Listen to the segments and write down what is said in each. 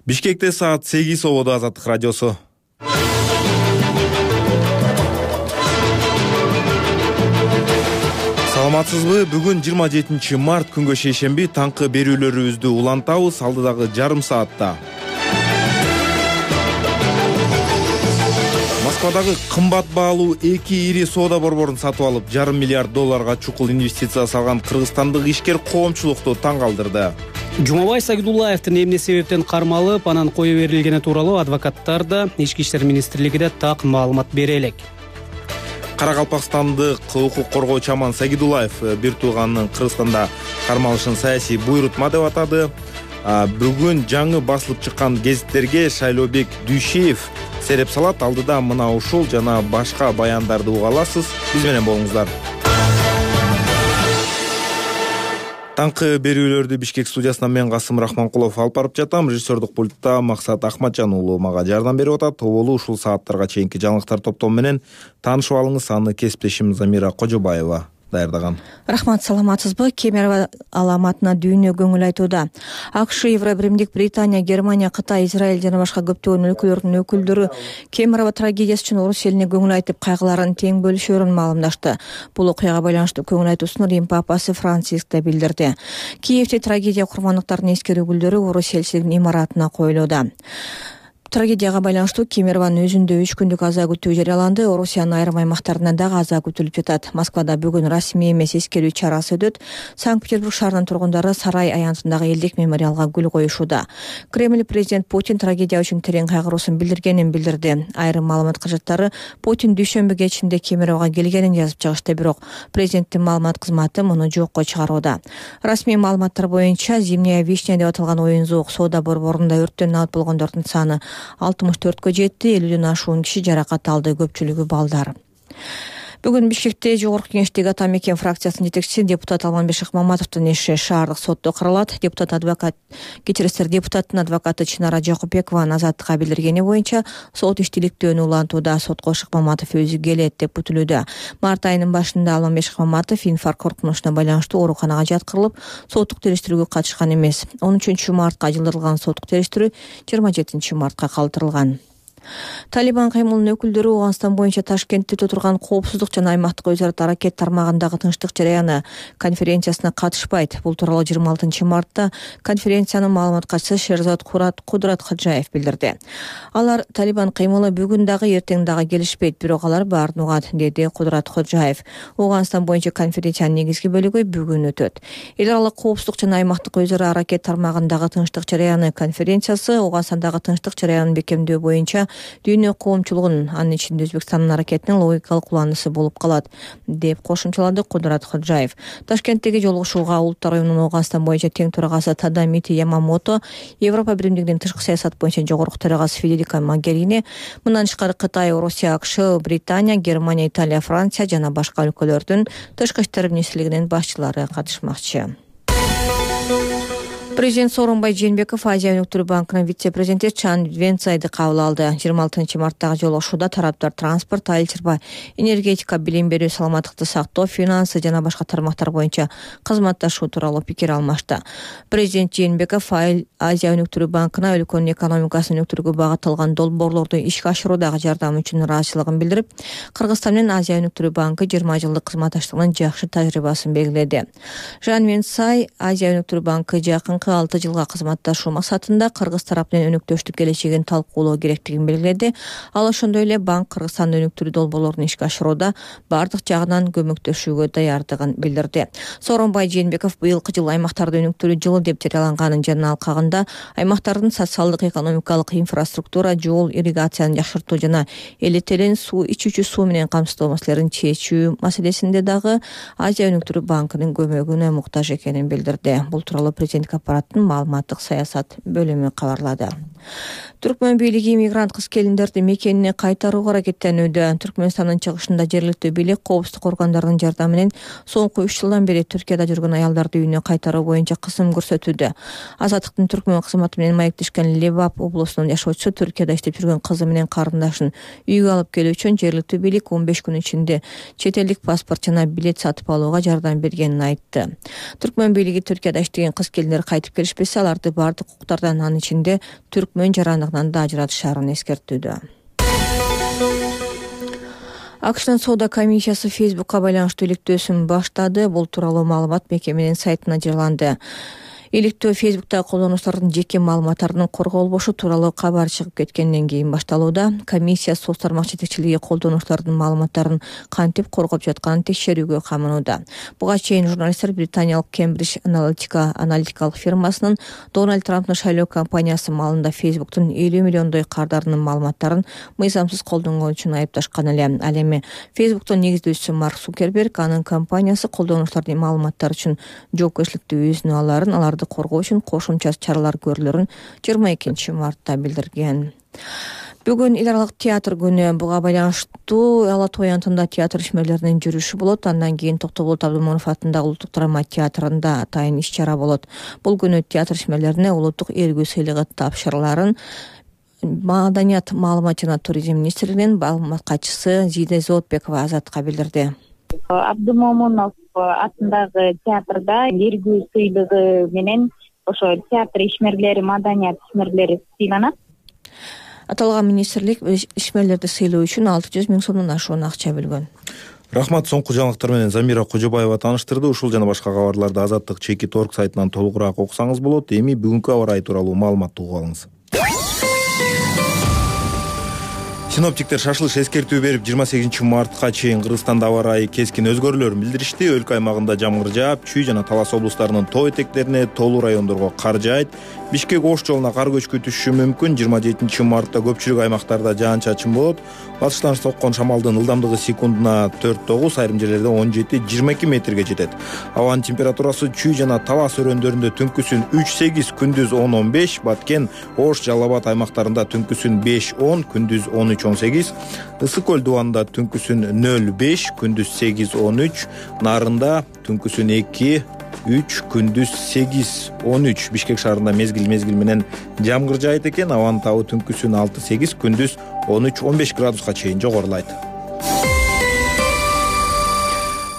Бишкекте саат 8 ободо Азаттык радиосу. Саламатсызбы? Бүгүн 27 март күнгө шейшемби таңкы берүүлөрүбүздү улантабыз алдыдагы жарым саатта. Москвадагы кымбат баалуу 2 ири соода борборун сатып алып, $500 миллиард чукул инвестиция салган кыргызстандык ишкер коомчулукту таң калтырды. Жумабай Сагидуллаевдин эмне себептен кармалып, анан кое берилгени тууралуу адвокаттар да Ички иштер министрлиги да так маалымат бере элек. Каракалпакстандык укук коргоочу Аман Сагидуллаев бир тууганынын Кыргызстанда кармалышын саясий буйрутма деп атады. Бүгүн жаңы басылып чыккан гезиттерге Шайлообек Дүйшеев сереп салат. Алдыда мына ушул жана башка баяндарды уга аласыз. Биз менен болуңуздар. Таңкы берүүлөрдү Бишкек студиясынан мен Касым Рахманкулов алып барып жатам. Режиссердик пультта Максат Ахматжан уулу мага жардам берип атат. Тоболу ушул сааттарга чейинки жаңылыктар топтому менен таанышып алыңыз. Аны кесиптешим Замира Кожобаева даярдаган. Рахмат, саламатсызбы? Кемерово аламатына дүйнө көңүл айтууда. АКШ, Евробиримдик, Британия, Германия, Кытай, Израиль жана башка көптөгөн өлкөлөрдүн өкүлдөрү Кемерово трагедиясы үчүн орус элине көңүл айтып, кайгыларын тең бөлүшөөрүн маалымдашты. Бул окуяга байланыштуу көңүл айтуусун Рим папасы Франциск да билдирди. Киевде трагедия курмандыктарынын эскерүү гүлдөрү орус элчилигинин имаратына коюлууда. Трагедияга байланыштуу Кемерованын өзүндө 3 күндүк аза күтүү жарыяланды. Орусиянын айрым аймактарында дагы аза күтүлүп жатат. Москвада бүгүн расмий эмес эскерүү чарасы өтөт. Санкт-Петербург шаарынын тургундары Сарай аянтындагы элдик мемориалга гүл коюшууда. Кремль президент Путин трагедия үчүн терең кайгыруусун билдиргенин билдирди. Айрым маалымат кыжаттары Путин дүйшөмбү кечинде Кемерового келгенин жазып чыгышты, бирок президенттин маалымат кызматы муну жокко чыгарууда. Расмий маалыматтар боюнча Зимняя вишня деп аталган оюн-зоок соода борборунда өрттөн алып болгондордун саны 64-кө жетти, 50ден ашуун киши жаракат алды, көпчүлүгү балдар. Бүгүн Бишкекте Жогорку Кеңештеги Ата Мекен фракциясынын жетекчиси депутат Алманбек Шыкмаматовдун иши шаардык сотто каралат. Депутаттын адвокаты Чынара Жакупбекованын Азаттыкка билдиргени боюнча сот иштиликтөөнү улантууда. Сотко Шыкмаматов өзү келет деп күтүлүүдө. Март айынын башында Алманбек Шыкмаматов инфаркт коркунучуна байланыштуу ооруканага жаткырылып, соттук териштирүүгө катышкан эмес. 13 мартка жылдырылган соттук териштирүү 27 мартка калтырылган. Талибан каймылынын өкүлдөрү Ооганстан боюнча Ташкентте отурган коопсуздук жана аймактык өзара аракет тармагындагы тынчтык жараяны конференциясына катышпайт. Бул тууралуу 26 мартта конференциянын маалымат катчысы Шерзат Кудрат Хаджаев билдирди. Алар Талибан кыймылы бүгүн дагы эртең дагы келишпейт, бирок алар баарын угат, деди Кудрат Хаджаев. Ооганстан боюнча конференциянын негизги бөлүгү бүгүн өтөт. Эл аралык коопсуздук жана аймактык өзара аракет тармагындагы тынчтык жараяны конференциясы Ооганстандагы тынчтык жараянын бекемдөө боюнча дүйнө коомчулугунун, анын ичинде Өзбекстандын аракетинин логикалык уланысы болуп калат, деп кошумчалады Кудрат Хаджаев. Ташкенттеги жолугушууга Улуттар уюмунун Ооганстан боюнча тең төрагасы Тадамити Ямамото, Европа биримдигинин тышкы саясат боюнча жогорку төрагасы Федерика Могерини, мындан тышкары Кытай, Орусия, АКШ, Британия, Германия, Италия, Франция жана башка өлкөлөрдүн тышкы иштер министрлигинин башчылары катышмакчы. Президент Сооронбай Жээнбеков Азия өнүктүрүү банкынын вице-президенти Чан Венцайды кабыл алды. 26 марттагы жолугушууда тараптар транспорт, айыл чарба, энергетика, билим берүү, саламаттыкты сактоо, финансы жана башка тармактар боюнча кызматташуу тууралуу пикир алмашты. Президент Жээнбеков Азия өнүктүрүү банкына өлкөнүн экономикасын өнүктүрүүгө багытталган долбоорлорду ишке ашыруудагы жардамы үчүн ыраазычылыгын билдирип, Кыргызстан менен Азия өнүктүрүү банкы 20 жылдык кызматташтыгынын жакшы тажрыйбасын белгиледи. Жан Венцай Азия өнүктүрүү банкы жакын 6 жылга кызматташуу максатында Кыргыз тарап менен өнүктөштүк келечегин талкуулоо керектигин белгиледи. Ал ошондой эле банк Кыргызстандын өнүктүрүү долбоорлорун ишке ашырууда бардык жагынан көмөктөшүүгө даярдыгын билдирди. Сооронбай Жээнбеков быйылкы жыл аймактарды өнүктүрүү жылы деп жарыяланганын жана алкагында аймактардын социалдык, экономикалык инфраструктура, жол, ирригацияны жакшыртуу жана элетелен суу, ичүүчү суу менен камсыздоо маселелерин чечүү маселесинде дагы Азия өнүктүрүү банкынын көмөгүнө муктаж экенин билдирди. Бул тууралуу президенттик аппараттын маалыматтык саясат бөлүмү кабарлады. Түркмөн бийлиги мигрант кыз-келиндерди мекенине кайтарууга аракеттенүүдө. Түркмөнстандын чыгышында жергиликтүү бийлик коопсуздук органдарынын жардамы менен соңку 3 жылдан бери Түркияда жүргөн аялдарды үйүнө кайтаруу боюнча кысым көрсөтүүдө. Азаттыктын Түркмөн кызматы менен маектешкен Лебап облусунун жашоочусу Түркияда иштеп жүргөн кызы менен карындашын үйгө алып келүү үчүн жергиликтүү бийлик 15 күн ичинде чет элдик паспорт жана билет сатып алууга жардам бергенин айтты. Түркмөн бийлиги Түркияда иштеген кыз-келиндер айтып келишпесе, аларды бардык укуктардан, анын ичинде түркмөн жарандыгынан да ажыратышаарын эскертүүдө. АКШнын соода комиссиясы Facebook'ка байланыштуу иликтөөсүн баштады. Бул тууралуу маалымат мекеменин сайтына жарыяланды. Иликтөө Facebook'тагы колдонуучулардын жеке маалыматтарынын корголбошу тууралуу кабар чыгып кеткенден кийин башталууда. Комиссия соц тармак жетекчилиги колдонуучулардын маалыматтарын кантип коргоп жатканын текшерүүгө камынууда. Буга чейин журналисттер британиялык Cambridge Analytica аналитикалык фирмасынын Дональд Трамптын шайлоо кампаниясы маалында Facebook'тун 50 миллиондой кардарынын маалыматтарын мыйзамсыз колдонгон үчүн айыпташкан эле. Ал эми Facebook'тун негиздөөчүсү Марк Цукерберг анын компаниясы колдонуучулардын маалыматтары үчүн жоопкерчиликти өзүнө аларын, аларды коргоо үчүн кошумча чаралар көрүлөрүн 22 мартта билдирген. Бүгүн эл аралык театр күнү. Буга байланыштуу Ала Той антында театр ишмерлеринин жүрүшү болот. Андан кийин Токтоболот Абдымомунов атындагы Улуттук драма театрында атайын иш-чара болот. Бул күнү театр ишмерлерине улуттук ээлгүү сыйлыгы тапшырыларын Маданият, маалымат жана туризм министрлигинин маалымат катчысы Зиде Зоотбекова Азатка билдирди. Абдымомунов атындагы театрда ээлгүү сыйлыгы менен ошо театр ишмерлери, маданият ишмерлери сыйланат. Аталган министрлик ишмерлерди сыйлоо үчүн 600 миң сомдон ашуун акча бөлгөн. Рахмат. Соңку жаңылыктар менен Замира Кожобаева тааныштырды. Ушул жана башка кабарларды Азаттык /org сайтынан толугураак окусаңыз болот. Эми бүгүнкү аба ырайы тууралуу маалыматты угуп алыңыз. Синоптиктер шашылыш эскертүү берип 28 мартка чейин Кыргызстанда аба ырайы кескин өзгөрүүлөрүн билдиришти. Өлкө аймагында жамгыр жаап, Чүй жана Талас облустарынын тоо этектерине, тоолуу райондорго кар жаайт. Бишкек-Ош жолуна кар көчкү түшүшү мүмкүн. 27 мартта көпчүлүк аймактарда жаан-чачын болот. Батыштан соккон шамалдын ылдамдыгы секундуна 4-9, айрым жерлерде 17-22 метрге жетет. Абанын температурасы Чүй жана Талас өрөөндөрүндө түнкүсүн 3-8, күндүз 10-15, Баткен, Ош, Жалал Абад аймактарында түнкүсүн 5-10, күндүз 13-18, Ысык көл дубанында түнкүсүн 0-5, күндүз 8-13, Нарында түнкүсүн 2-3, күндүз 8-13. Бишкек шаарында мезгил менен жамгыр жаайт экен. Абанын табы түнкүсүн 6-8, күндүз 13-15 градуска чейин жогорулайт.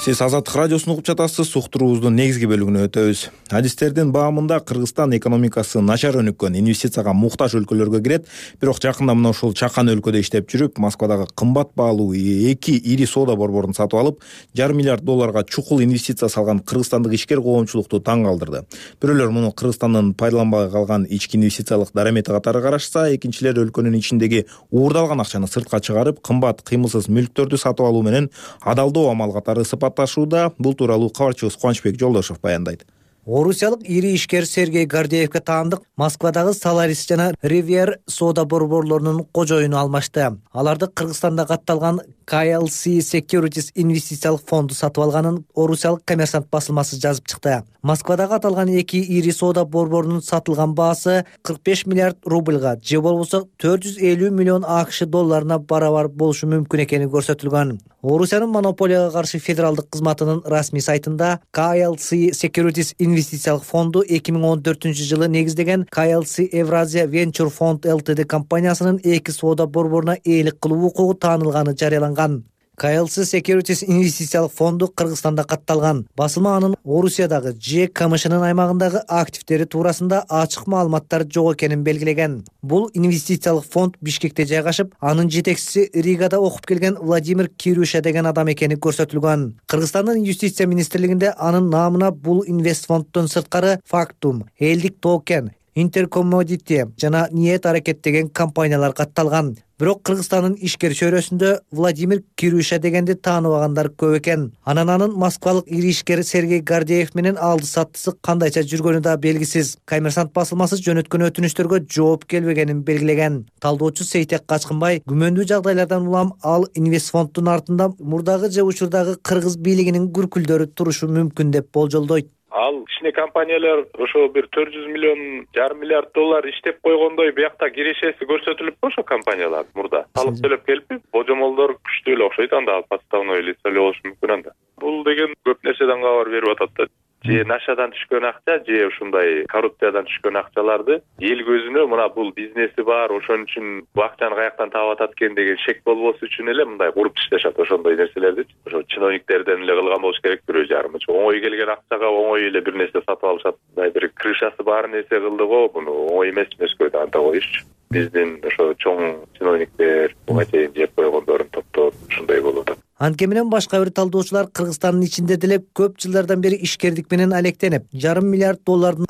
Сиз Азаттык радиосун угуп жатасыз. Уктуруубуздун негизги бөлүгүнө өтөбүз. Адистердин баамында Кыргызстан экономикасы начар өнүккөн, инвестицияга муктаж өлкөлөргө кирет. Бирок жакында мына ушул чакан өлкөдө иштеп жүрүп, Москвадагы кымбат баалуу 2 ири соода борборун сатып алып, $500 миллиард чукул инвестиция салган кыргызстандык ишкер коомчулукту таң калтырды. Бирөөлөр муну Кыргызстандын пайдаланбай калган ички инвестициялык дарамети катары карашса, экинчилер өлкөнүн ичиндеги уурдалган акчаны сыртка чыгарып, кымбат кыймылсыз мүлктөрдү сатып алуу менен адалдоо амал катары сыпатташууда. Бул тууралуу кабарчыбыз Кубанычбек Жолдошев баяндайт. Орусиялык ири ишкер Сергей Гордеевке таандык Москвадагы Solaris жана Rivier соода борборлорунун кожоюну алмашты. Аларды Кыргызстанда катталган KLC Securities инвестициялык фонду сатып алганын Орусиялык Коммерсант басылмасы жазып чыкты. Москвадагы аталган 2 ири соода борборунун сатылган баасы 45 миллиард рубльга, же болбосо 450 миллион АКШ долларына барабар болушу мүмкүн экени көрсөтүлгөн. Орусиянын монополияга каршы федералдык кызматынын расмий сайтында KLC Securities инвестициялык фонду 2014-жылы негиздеген KLC Евразия Venture Fund Ltd компаниясынын 2 соода борборуна ээлик кылуу укугу таанылганы жарыяланган. KLC Securities инвестициялык фонду Кыргызстанда катталган. Басылма анын Орусиядагы же КМШнын аймагындагы активдери туурасында ачык маалыматтар жок экенин белгилеген. Бул инвестициялык фонд Бишкекте жайгашып, анын жетекчиси Ригада окуп келген Владимир Кирюша деген адам экени көрсөтүлгөн. Кыргызстандын юстиция министрлигинде анын наамына бул инвестфонддон сырткары Factum, Элдик Токен, Интеркоммодити жана Ниет аракет деген компаниялар катталган. Бирок Кыргызстандын ишкер чөйрөсүндө Владимир Кирюша дегенди тааныбагандар көп экен. Анан Москвалык ири ишкер Сергей Гордеев менен алды саттысы кандайча жүргөнү да белгисиз. Коммерсант басылмасы жөнөткөн өтүнүчтөргө жооп келбегенин белгилеген. Талдоочу Сейтек Качкынбай күмөндүү жагдайлардан улам ал инвестфонддун артында мурдагы же учурдагы кыргыз бийлигинин күркүлдөрү турушу мүмкүн деп болжолдойт. Ал кичине компаниялар ошо бир 400 миллион $500 миллиард иштеп койгондой биякта кирешеси көрсөтүлүппү ошо компаниялар мурда. Салык төлөп келиппи? Божомолдор күчтүү эле окшойт анда подставной лицо эле болушу мүмкүн анда. Бул деген көп нерседен кабар берип атат да. же нашадан түшкөн акча же ушундай коррупциядан түшкөн акчаларды эл көзүнө мына бул бизнеси бар, ошон үчүн бул акчаны каяктан таап атат экен деген шек болбосу үчүн эле мындай куруп ташташат ошондой нерселерди. Ошо чиновниктерден эле кылган болуш керек бирөө жарымы. Оңой келген акчага оңой эле бир нерсе сатып алышат. Мындай бир крышасы бар нерсе кылды го, муну оңой эмес Мөскөдө анта коюшчу. Биздин ошо чоң чиновниктер буга чейин жеп койгондорун топтоп ушундай болуп атат. Антке менен башка бир талдоочулар Кыргызстандын ичинде деле көп жылдардан бери ишкердик менен алектенип, $500 миллиард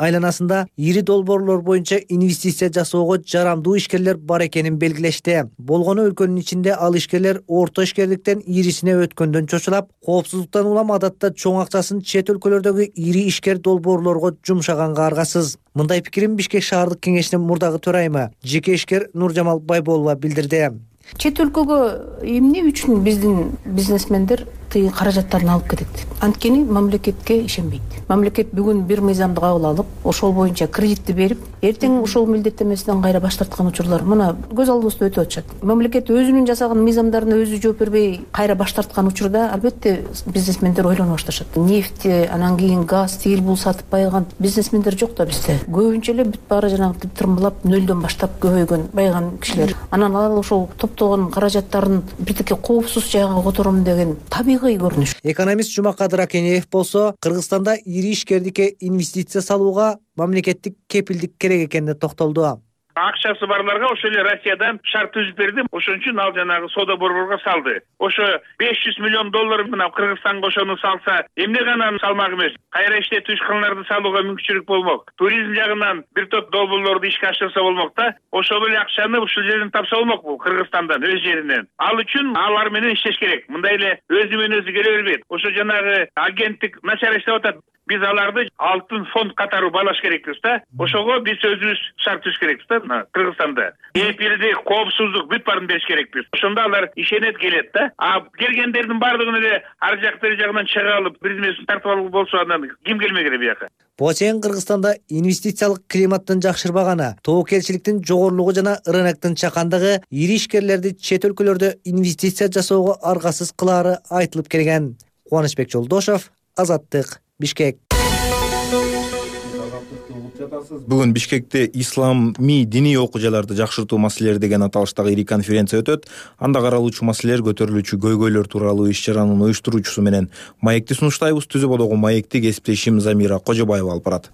айланасында ири долбоорлор боюнча инвестиция жасоого жарамдуу ишкерлер бар экенин белгилешти. Болгону өлкөнүн ичинде ал ишкерлер орто ишкерликтен ирисине өткөндөн чочулап, коопсуздуктан улам адатта чоң акчасын чет өлкөлөрдөгү ири ишкер долбоорлорго жумшаганга аргасыз. Мындай пикирин Бишкек шаардык кеңешинин мурдагы төрайымы, жеке ишкер Нуржамал Байболова билдирди. Чет өлкөгө эмне үчүн биздин бизнесмендер тыйын каражаттарын алып кетет? Анткени мамлекетке ишенбейт. Мамлекет бүгүн бир мыйзамды кабыл алып, ошол боюнча кредитти берип, эртең ошол милдеттенмесинен кайра баш тарткан учурлар мына көз алдыбызда өтүп атышат. Мамлекет өзүнүн жасаган мыйзамдарына өзү жооп бербей кайра баш тарткан учурда албетте бизнесмендер ойлоно башташат. Нефть, анан кийин газ, тигил бул сатып байыган бизнесмендер жок да бизде. Көбүнчө эле бүт баары жанагы тырмалап нөлдөн баштап көбөйгөн байыган кишилер. Анан ал ошол топтогон каражаттарын бирдеке коопсуз жайга котором деген табигый көрүнүш. Экономист Жумакадыр Акенеев болсо, Кыргызстанда ири ишкердикке инвестиция салууга мамлекеттик кепилдик керек экенине токтолду. Акчасы барларга ошо эле Россиядан шарт түзүп берди. Ошон үчүн ал жанагы соода борборго салды. Ошо $500 миллион мына Кыргызстанга ошону салса, эмне гана салмак эмес. Кайра иштетүү ишканаларды салууга мүмкүнчүлүк болмок. Туризм жагынан бир топ долбоорлорду ишке ашырса болмок да. Ошол эле акчаны ушул жерден тапса болмок бул Кыргызстандан, өз жеринен. Ал үчүн алар менен иштеш керек. Мындай эле өзү менен өзү келе бербейт. Ошо жанагы агенттик начар иштеп атат. Биз аларды алтын фонд катары байлаш керекпиз да. Ошого биз өзүбүз шарт түзүш керекпиз да Кыргызстанда. Кепилдик, коопсуздук бүт баарын бериш керекпиз. Ошондо алар ишенет келет да. А келгендердин баардыгын эле ар жак бери жагынан чыга алып, бизнесин тартып алып болсо андан ким келмек эле бияка. Буга чейин Кыргызстанда инвестициялык климаттын жакшырбаганы, тобокелчиликтин жогорулугу жана рыноктун чакандыгы ири ишкерлерди чет өлкөлөрдө инвестиция жасоого аргасыз кылаары айтылып келген. Кубанычбек Жолдошов, Азаттык, Бишкек. Бүгүн Бишкекте исламий диний окуяларды жакшыртуу маселелери деген аталыштагы ири конференция өтөт. Анда каралуучу маселелер, көтөрүлүүчү көйгөйлөр тууралуу иш-чаранын уюштуруучусу менен маекти сунуштайбыз. Түзүбодогу маекти кесиптешим Замира Кожобаева алып барат.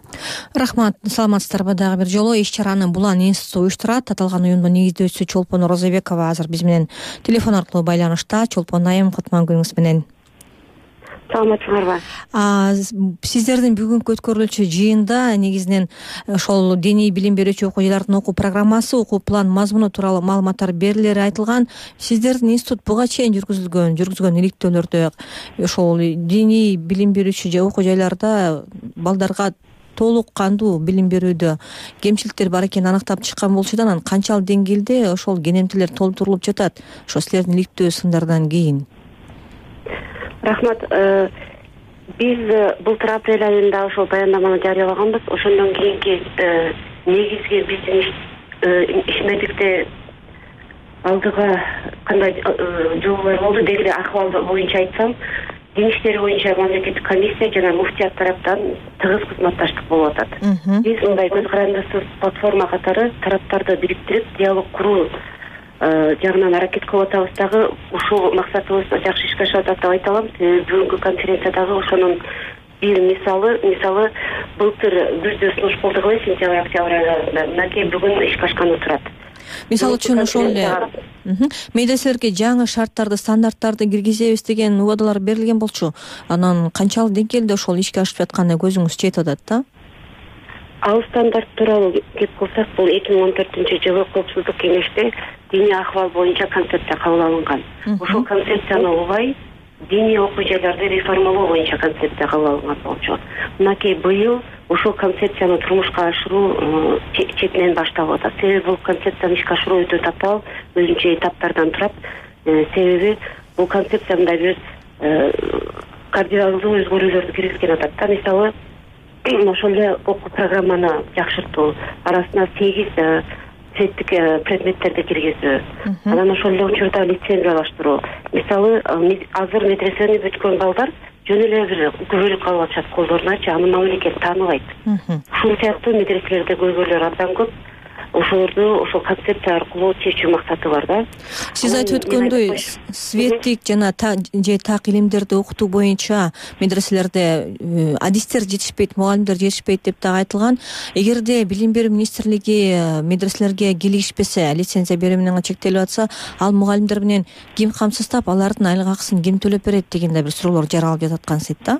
Рахмат, саламатсыздарбы? Дагы бир жолу иш-чараны Булан институту уюштурат. Аталган уюмдун негиздөөчүсү Чолпон Розабекова азыр биз менен телефон аркылуу байланышта. Чолпон айым, кутман күнүңүз менен. Саламатсыздарбы? Сиздердин бүгүнкү өткөрүлчү жыйында негизинен ошол диний билим берүүчү окуучулардын окуу программасы, окуу план мазмуну тууралуу маалыматтар берилери айтылган. Сиздердин институт буга чейин жүргүзгөн иликтөөлөрдө ошол диний билим берүүчү окуу жайларда балдарга толук кандуу билим берүүдө кемчиликтер бар экенин аныктап чыккан болчу да, анан канчалык деңгээлде ошол кенемтелер толтурулуп жатат ошо силердин иликтөө сындардан кийин? Рахмат. Биз былтыр апрель айында ошол баяндаманы жарыялаганбыз. Ошондон кийинки негизги биздин ишмердикте алдыга кандай жолдор болду деги акыбал боюнча айтсам, дин иштери боюнча мамлекеттик комиссия жана муфтият тараптан тыгыз кызматташтык болуп атат. Биз мындай көз карандысыз платформа катары тараптарды бириктирип диалог куруу жагынан аракет кылып атабыз. Дагы ушул максатыбыз жакшы ишке ашып атат деп айта алам. Бүгүнкү конференциядагы ошонун бир мисалы былтыр күздө сунуш болдук эле, сентябрь-октябрь айларында. Мынакей бүгүн ишке ашканы турат. Мисалы үчүн ошол эле медреселерге жаңы шарттарды, стандарттарды киргизебиз деген убадалар берилген болчу. Анан канчалык деңгээлде ошол ишке ашып жатканына көзүңүз жетип атат да? Ал стандарт тууралуу кеп кылсак, бул 2014-жылы Коопсуздук кеңеште диний акыбал боюнча концепция кабыл алынган. Ошол концепцияны улай диний окуу жайларды реформалоо боюнча концепция кабыл алынган болчу. Мынакей быйыл ошол концепцияны турмушка ашыруу четинен башталып атат. Себеби бул концепцияны ишке ашыруу өтө татаал, өзүнчө этаптардан турат. Себеби бул концепция мындай бир кардиналдуу өзгөрүүлөрдү киргизген атат да. Мисалы, ошол эле окуу программаны жакшыртуу, арасына 8 цветтик предметтерди киргизүү, анан ошол эле учурда лицензиялаштыруу. Мисалы, азыр медресени бүткөн балдар жөн эле бир күбөлүк калып атышат колдоруначы, аны мамлекет тааныбайт. Ушул сыяктуу медреселерде көйгөйлөр абдан көп. Ошолорду ошол концепция аркылуу чечүү максаты бар да. Сиз айтып өткөндөй, светтик жана же так илимдерди окутуу боюнча медреселерде адистер жетишпейт, мугалимдер жетишпейт деп дагы айтылган. Эгерде билим берүү министрлиги медреселерге кийлигишпесе, лицензия берүү менен чектелип атса, ал мугалимдер менен ким камсыздап, алардын айлык акысын ким төлөп берет деген да бир суроолор жаралып жататкансыйт да.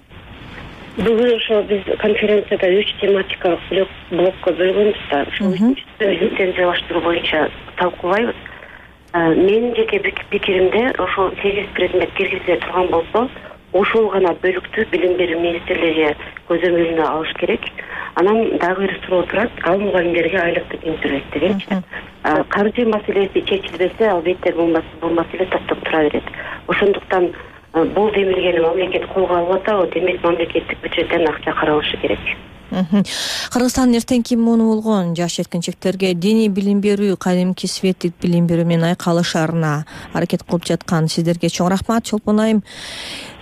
Бүгүн ошо биз конференцияда 3 тематикалык блокко бөлгөнбүз да. Ошол лицензиялаштыруу боюнча талкуулайбыз. Менин жеке пикиримде ошо 8 предмет киргизиле турган болсо, ошол гана бөлүктү билим берүү министрлиги көзөмөлүнө алыш керек. Анан дагы бир суроо турат, ал мугалимдерге айлыкты ким төлөйт дегенчи. Каржы маселеси чечилбесе, албетте бул маселе токтоп тура берет. Ошондуктан бул демилгени мамлекет колго алып атабы, демек мамлекеттик бюджеттен акча каралышы керек. Кыргызстандын эртеңки муну болгон жаш жеткинчектерге диний билим берүү кадимки светтик билим берүү менен айкалышарына аракет кылып жаткан сиздерге чоң рахмат. Чолпон айым,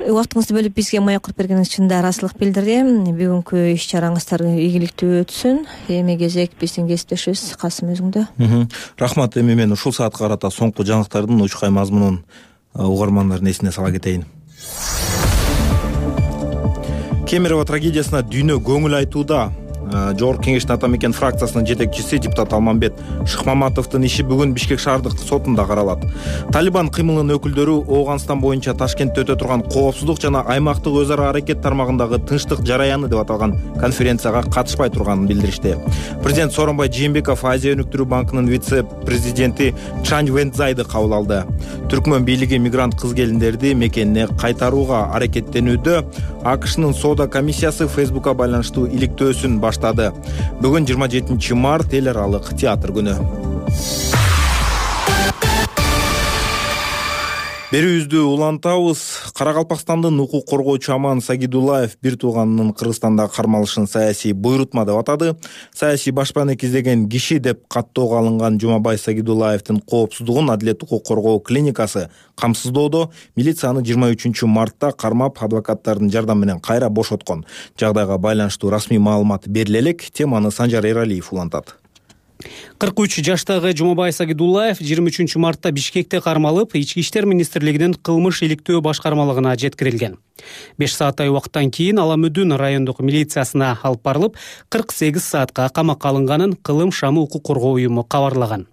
убактыңызды бөлүп бизге маек куруп бергениңиз үчүн да ыраазычылык билдирем. Бүгүнкү иш чараңыздар ийгиликтүү өтсүн. Эми кезек биздин кесиптешибиз Касым өзүңдө. Рахмат. Эми мен ушул саатка карата соңку жаңылыктардын учкай мазмунун угармандардын эсине сала кетейин. Кемерово трагедиясына дүйнө көңүл айтууда. Жогорку Кеңештин Ата мекен фракциясынын жетекчиси депутат Алмамбет Шыкмаматовдун иши бүгүн Бишкек шаардык сотунда каралат. Талибан кыймылынын өкүлдөрү Ооганстан боюнча Ташкентте өтө турган коопсуздук жана аймактык өз ара аракет тармагындагы тынчтык жараяны деп аталган конференцияга катышпай турганын билдиришти. Президент Сооронбай Жээнбеков Азия өнүктүрүү банкынын вице-президенти Чань Вэнцзайды кабыл алды. Түркмөн бийлиги мигрант кыз-келиндерди мекенине кайтарууга аракеттенүүдө. АКШнын соода комиссиясы Фейсбукка байланыштуу иликтөөсүн баштады. Бүгүн 27 март эл аралык театр күнү. Берүүбүздү улантабыз. Каракалпакстандын укук коргоочу Аман Сагидуллаев бир тууганынын Кыргызстанда кармалышын саясий буйрутма деп атады. Саясий башпаанек издеген киши деп каттоого алынган Жумабай Сагидуллаевдин коопсуздугун Адилет укук коргоо клиникасы камсыздоодо милицияны 23 мартта кармап, адвокаттардын жардамы менен кайра бошоткон. Жагдайга байланыштуу расмий маалымат бериле элек. Теманы Санжар Эралиев улантат. 43 жаштагы Жумабай Сагидуллаев 23 мартта Бишкекте кармалып, Ички иштер министрлигинин кылмыш иликтөө башкармалыгына жеткирилген. 5 сааттай убакыттан кийин Аламүдүн райондук милициясына алып барылып, 48 саатка камакка алынганын Кылым Шамы укук коргоо уюму кабарлаган.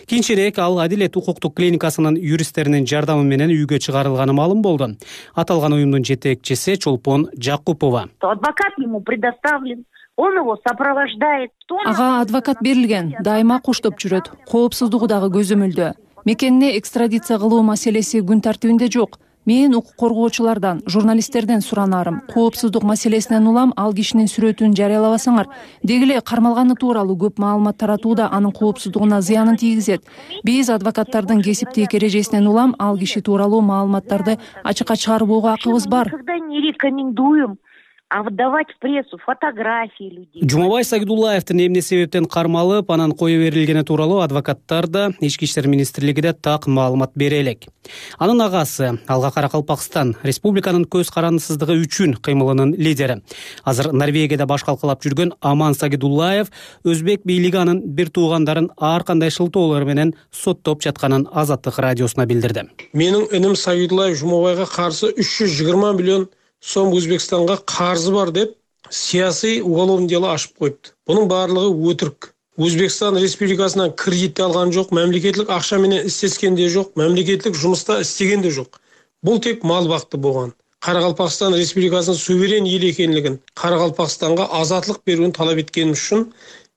Кийинчерээк ал Адилет укуктук клиникасынын юристтеринин жардамы менен үйгө чыгарылганы маалым болду. Аталган уюмдун жетекчиси Чолпон Жакупова. Адвокат ему предоставлен. Он его сопровождает. Ага адвокат берилген, дайыма коштоп жүрөт. Коопсуздугу дагы көзөмөлдө. Мекенине экстрадиция кылуу маселеси күн тартибинде жок. Мен укук коргоочулардан, журналисттерден суранарым. Коопсуздук маселесинен улам ал кишинин сүрөтүн жарыялабасаңар, деги эле кармалганы тууралуу көп маалымат таратууда анын коопсуздугуна зыянын тийгизет. Биз адвокаттардын кесиптик эрежесинен улам ал киши тууралуу маалыматтарды ачыкка чыгарбоого акыбыз бар. Никогда не рекомендуем выдавать в прессу фотографии людей. Жумабай Сагидуллаевдин эмне себептен кармалып, анан кое берилгени тууралуу адвокаттар да Ички иштер министрлигиде так маалымат бере элек. Анын агасы Алга Каракалпакстан республиканын көз карандысыздыгы үчүн кыймылынын лидери. Азыр Норвегияда баш калкалап жүргөн Аман Сагидуллаев өзбек бийлиги анын бир туугандарын ар кандай шылтоолор менен соттоп жатканын Азаттык радиосуна билдирди. Менин иним Сагидуллаев Жумабайга каршы 320 миллион сом Өзбекстанга карзы бар деп саясий уголовный дело ачып коюпту. Бунун баардыгы өтүрк. Өзбекстан республикасынан кредит алган жок, мамлекеттик акча менен иштескен де жок, мамлекеттик жумушта истеген де жок. Бул тек мал бакты болгон. Каракалпакстан республикасынын суверен эл экенлигин, Каракалпакстанга азатлык берүүнү талап эткеним үчүн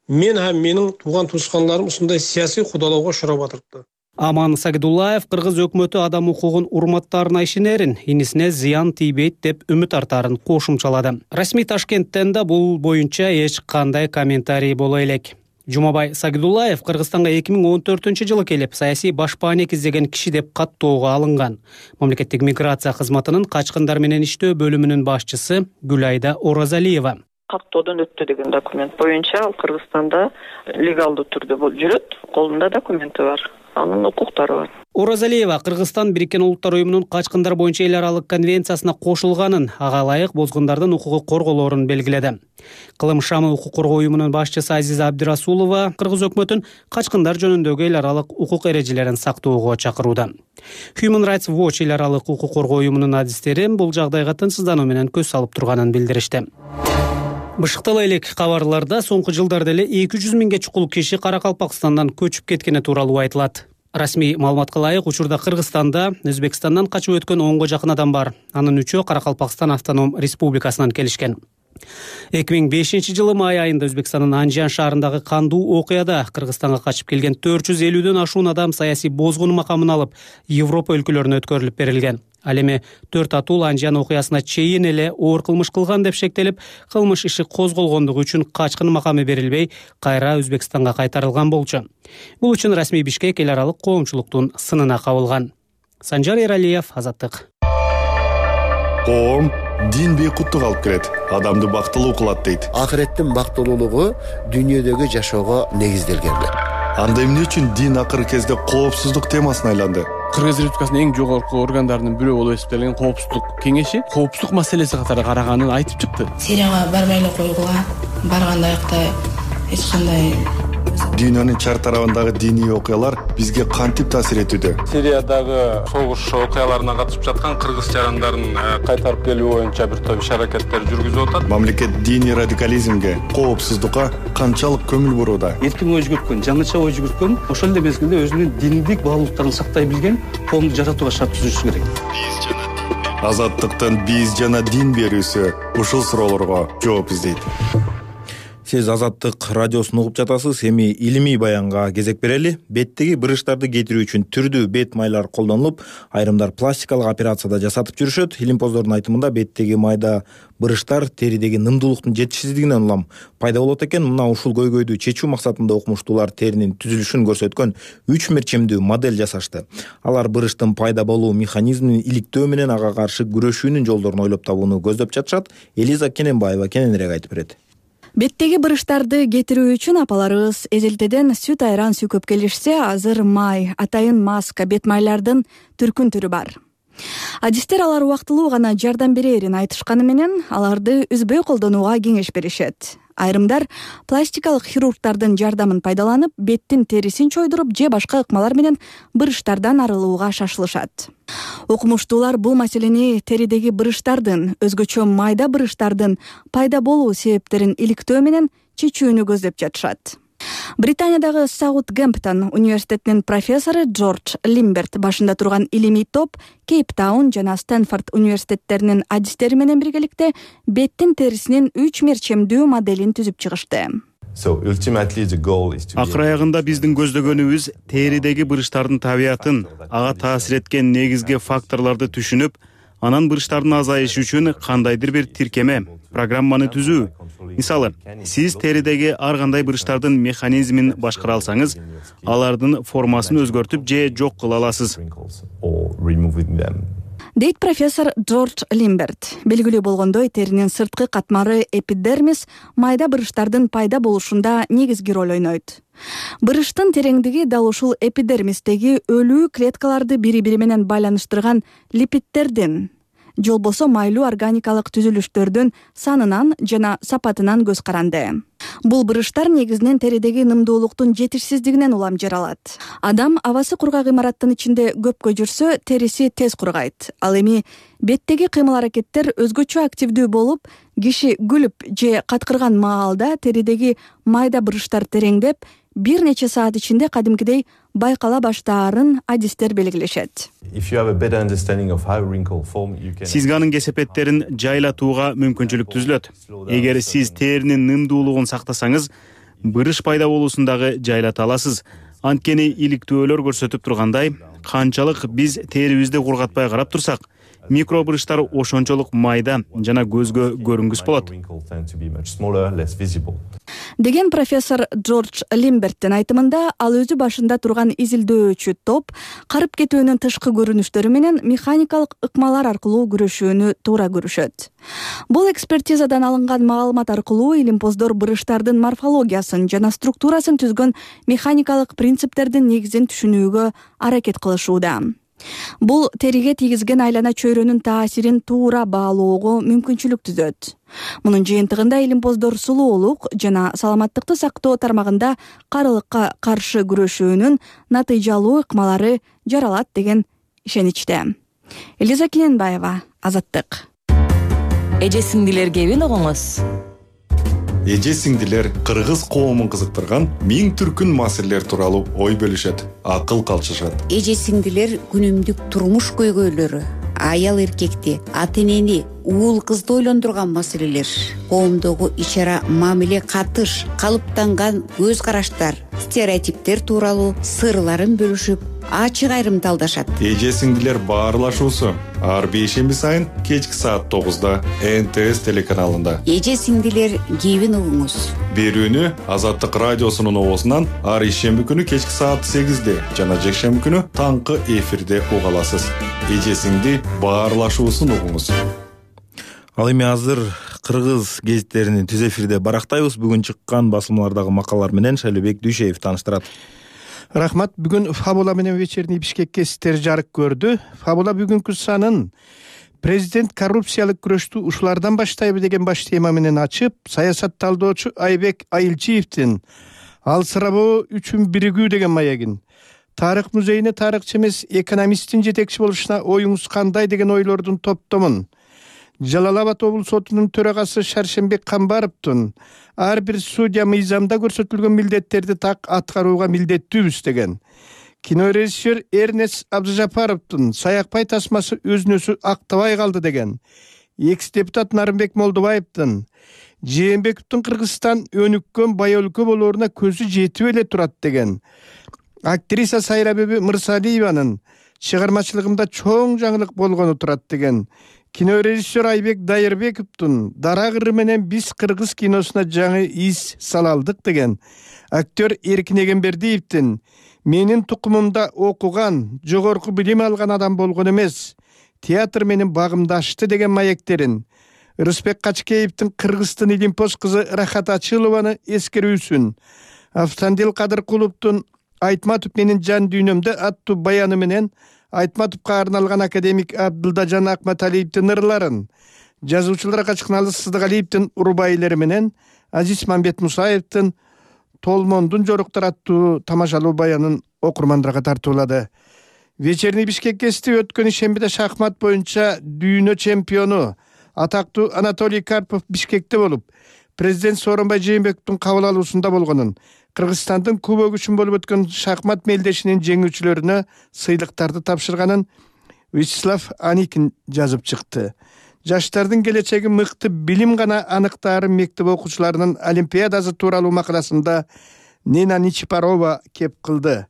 мен һәм менин тууган туускандарым ушундай саясий кудалоого урап атырыпты. Аман Сагидуллаев кыргыз өкмөтү адам укугун урматтаарына ишенерин, инисине зыян тийбейт деп үмүт артарын кошумчалады. Расмий Ташкенттен да бул боюнча эч кандай комментарий боло элек. Жумабай Сагидуллаев Кыргызстанга 2014-жылы келип, саясий башпаанек издеген киши деп каттоого алынган. Мамлекеттик миграция кызматынын качкындар менен иштөө бөлүмүнүн башчысы Гүлайда Оразалиева. Каттоодон өттү деген документ боюнча ал Кыргызстанда легалдуу түрдө жүрөт, колунда документи бар. анын укуктары бар. Оразалиева Кыргызстан Бириккен Улуттар уюмунун качкындар боюнча эл аралык конвенциясына кошулганын, ага ылайык бозгундардын укугу корголоорун белгиледи. Кылым шамы укук коргоо уюмунун башчысы Азиза Абдирасулова Кыргыз өкмөтүн качкындар жөнүндөгү эл аралык укук эрежелерин сактоого чакырууда. Human Rights Watch эл аралык укук коргоо уюмунун адистери бул жагдайга тынчсыздануу менен көз салып турганын билдиришти. Бышыктала элек кабарларда соңку жылдарда эле 200 миңге чукул киши Каракалпакстандан көчүп кеткени тууралуу айтылат. Расмий маалыматка ылайык учурда Кыргызстанда Өзбекстандан качып өткөн 10го жакын адам бар. Анын 3-өө Каракалпакстан автоном республикасынан келишкен. 2005-жылы май айында Өзбекстандын Анжан шаарындагы кандуу окуяда Кыргызстанга качып келген 450дөн ашуун адам саясий бозгун макамын алып Европа өлкөлөрүнө өткөрүлүп берилген. Ал эми 4 атул Анжан окуясына чейин эле оор кылмыш кылган деп шектелип, кылмыш иши козголгондугу үчүн качкын макамы берилбей, кайра Өзбекстанга кайтарылган болчу. Бул үчүн расмий Бишкек эл аралык коомчулуктун сынына кабылган. Санжар Эралиев, Азаттык. Коом дин бейкуттук алып келет, адамды бактылуу кылат дейт. Акыреттин бактылуулугу дүйнөдөгү жашоого негизделген. Анда эмне үчүн дин акыркы кезде коопсуздук темасына айланды? Кыргыз Республикасынын эң жогорку органдарынын бирөө болуп эсептелген коопсуздук кеңеши коопсуздук маселеси катары караганын айтып чыкты. Сирияга барбай эле койгула, барганда аякта эч кандай Дүйнөнүн чар тарабындагы диний окуялар бизге кантип таасир этүүдө? Сириядагы согуш окуяларына катышып жаткан кыргыз жарандарын кайтарып келүү боюнча бир топ иш-аракеттер жүргүзүп атат. Мамлекет диний радикализмге, коопсуздукка канчалык көңүл бурууда? Эркин ой жүгүрткөн, жаңыча ой жүгүрткөн, ошол эле мезгилде өзүнүн диндик баалуулуктарын сактай билген коомду жаратууга шарт түзүшү керек. Азаттыктын биз жана дин берүүсү ушул суроолорго жооп издейт. Сиз Азаттык радиосун угуп жатасыз. Эми илимий баянга кезек берели. Беттеги бырыштарды кетирүү үчүн түрдүү бет майлар колдонулуп, айрымдар пластикалык операцияда жасатып жүрүшөт. Илимпоздордун айтымында беттеги майда бырыштар теридеги нымдуулуктун жетишсиздигинен улам пайда болот экен. Мына ушул көйгөйдү чечүү максатында окумуштуулар теринин түзүлүшүн көрсөткөн 3 мерчемдүү модель жасашты. Алар бырыштын пайда болуу механизмин иликтөө менен ага каршы күрөшүүнүн жолдорун ойлоп табууну көздөп жатышат. Элиза Кененбаева кененирээк айтып берет. Беттеги бырыштарды кетирүү үчүн апаларыбыз эзелтеден сүт айран сүйкөп келишсе, азыр май, атайын маска, бет майлардын түркүн түрү бар. Адистер алар убактылуу гана жардам берерин айтышканы менен аларды үзбөй колдонууга кеңеш беришет. Айрымдар пластикалык хирургдардын жардамын пайдаланып, беттин терисин чойдуруп же башка ыкмалар менен бырыштардан арылууга шашылышат. Окумуштуулар бул маселени теридеги бырыштардын, өзгөчө майда бырыштардын пайда болуу себептерин иликтөө менен чечүүнү көздөп жатышат. Британиядагы Саутгемптон университетинин профессору Джордж Лимберт башында турган илимий топ Кейптаун жана Стэнфорд университеттеринин адистери менен биргеликте беттин терисинин 3 мерчемдүү моделин түзүп чыгышты. Акыр аягында биздин көздөгөнүбүз теридеги бырыштардын табиятын, ага таасир эткен негизги факторлорду түшүнүп, анан бырыштардын азайышы үчүн кандайдыр бир тиркеме, программаны түзүү. Мисалы, сиз теридеги ар кандай бырыштардын механизмин башкара алсаңыз, алардын формасын өзгөртүп же жок кыла аласыз. Дейт профессор Джордж Лимберт. Белгилүү болгондой, теринин сырткы катмары эпидермис майда бырыштардын пайда болушунда негизги роль ойнойт. Бырыштын тереңдиги дал ушул эпидермистеги өлүү клеткаларды бири-бири менен байланыштырган липидтердин, же болбосо майлуу органикалык түзүлүштөрдүн санынан жана сапатынан көз каранды. Бул бырыштар негизинен теридеги нымдуулуктун жетишсиздигинен улам жаралат. Адам абасы кургак имараттын ичинде көпкө жүрсө, териси тез кургайт. Ал эми беттеги кыймыл-аракеттер өзгөчө активдүү болуп, киши күлүп же каткырган маалда теридеги майда бырыштар тереңдеп, бир нече саат ичинде кадимкидей байкала баштаарын адистер белгилешет. Сизге анын кесепеттерин жайлатууга мүмкүнчүлүк түзүлөт. Эгер сиз теринин нымдуулугун сактасаңыз, бырыш пайда болуусундагы жайлата аласыз. Анткени иликтөөлөр көрсөтүп тургандай, канчалык биз терибизди кургатпай карап турсак, микробырыштар ошончолук майда жана көзгө көрүнгүс болот деген профессор Джордж Лимберттин айтымында, ал өзү башында турган изилдөөчү топ карып кетүүнүн тышкы көрүнүштөрү менен механикалык ыкмалар аркылуу күрөшүүнү туура көрүшөт. Бул экспертизадан алынган маалымат аркылуу илимпоздор бырыштардын морфологиясын жана структурасын түзгөн механикалык принциптердин негизин түшүнүүгө аракет кылышууда. Бул териге тийгизген айлана чөйрөнүн таасирин туура баалоого мүмкүнчүлүк түзөт. Мунун жыйынтыгында илимпоздор сулуулук жана саламаттыкты сактоо тармагында карылыкка каршы күрөшүүнүн натыйжалуу ыкмалары жаралат деген ишеничте. Элиза Кененбаева, Азаттык. Эже сиңдилер кебин угуңуз. Эже сиңдилер кыргыз коомун кызыктырган миң түркүн маселелер тууралуу ой бөлүшөт, акыл калчышат. Эже сиңдилер күнүмдүк турмуш көйгөйлөрү, аял эркекти, ата энени, уул кызды ойлондурган маселелер, коомдогу ич-ара мамиле катыш, калыптанган көз караштар, стереотиптер тууралуу сырларын бөлүшүп, ачык айрым талдашат. Эже сиңдилер баарлашуусу ар бейшемби сайын кечки саат 9-да НТС телеканалында. Эже сиңдилер кебин угуңуз. Берүүнү Азаттык радиосунун оозунан ар ишемби күнү кечки саат 8-де жана жекшемби күнү таңкы эфирде уга аласыз. Эже сиңди баарлашуусун угуңуз. Ал эми азыр кыргыз гезиттеринин түз эфирде барактайбыз. Бүгүн чыккан басылмалардагы макалалар менен Шайлообек Дүйшеев тааныштырат. Рахмат. Бүгүн Фабула менен вечерний Бишкекке сиздер жарык көрдү. Фабула бүгүнкү санын президент коррупциялык күрөштү ушулардан баштайбы деген баш тема менен ачып, саясат талдоочу Айбек Айылчиевдин алсырабоо үчүн биригүү деген маегин, Тарых музейине тарыхчы эмес экономисттин жетекчи болушуна оюңуз кандай деген ойлордун топтомун, Жалал Абад облус сотунун төрагасы Шаршембек Камбаровдун ар бир судья мыйзамда көрсөтүлгөн милдеттерди так аткарууга милдеттүүбүз деген, кинорежиссер Эрнест Абдыжапаровдун Саякбай тасмасы өзүн өзү актабай калды деген, экс-депутат Нарымбек Молдубаевдин Жээнбековдун Кыргызстан өнүккөн бай өлкө болооруна көзү жетип эле турат деген, актриса Сайрабеби Мырсалиеванын чыгармачылыгында чоң жаңылык болгону турат деген, кинорежиссер Айбек Дайырбековдун Дара кыры менен биз кыргыз киносуна жаңы из салалдык деген, актер Эркин Эгембердиевдин менин тукумумда окуган, жогорку билим алган адам болгон эмес, театр менин багымды ачты деген маектерин, Рысбек Качкеевдин Кыргыздын илимпоз кызы Рахат Ачылованы эскерүүсүн, Автандил Кадыркуловдун Айтматов менин жан дүйнөмдө аттуу баяны менен Айтматовго арналган академик Абдылдажан Акматалиевдин ырларын, жазуучулар Качкыналы Сыздыгалиевдин урубайлары менен Азиз Мамбет Мусаевдин Толмондун жоруктар аттуу тамашалуу баянын окурмандарга тартуулады. Вечерний Бишкеккести өткөн ишембиде шахмат боюнча дүйнө чемпиону атактуу Анатолий Карпов Бишкекте болуп, президент Сооронбай Жээнбековдун кабыл алуусунда болгонун, Кыргызстандын кубогу үчүн болуп өткөн шахмат мелдешинин жеңүүчүлөрүнө сыйлыктарды тапшырганын Вячеслав Аникин жазып чыкты. Жаштардын келечеги мыкты билим гана аныктаарын мектеп окуучуларынын олимпиадасы тууралуу макаласында Нина Ничипарова кеп кылды.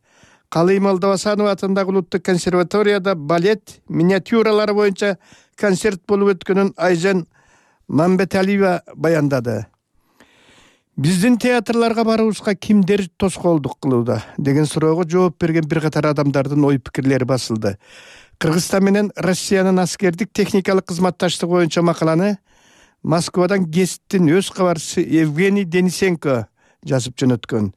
Калый Молдовасанова атындагы улуттук консерваторияда балет миниатюралары боюнча концерт болуп өткөнүн Айжан Мамбеталиева баяндады. Биздин театрларга баруубузга кимдер тоскоолдук кылууда деген суроого жооп берген бир катар адамдардын ой пикирлери басылды. Кыргызстан менен Россиянын аскердик техникалык кызматташтыгы боюнча макаланы Москвадан гезиттин өз кабарчысы Евгений Денисенко жазып жөнөткөн.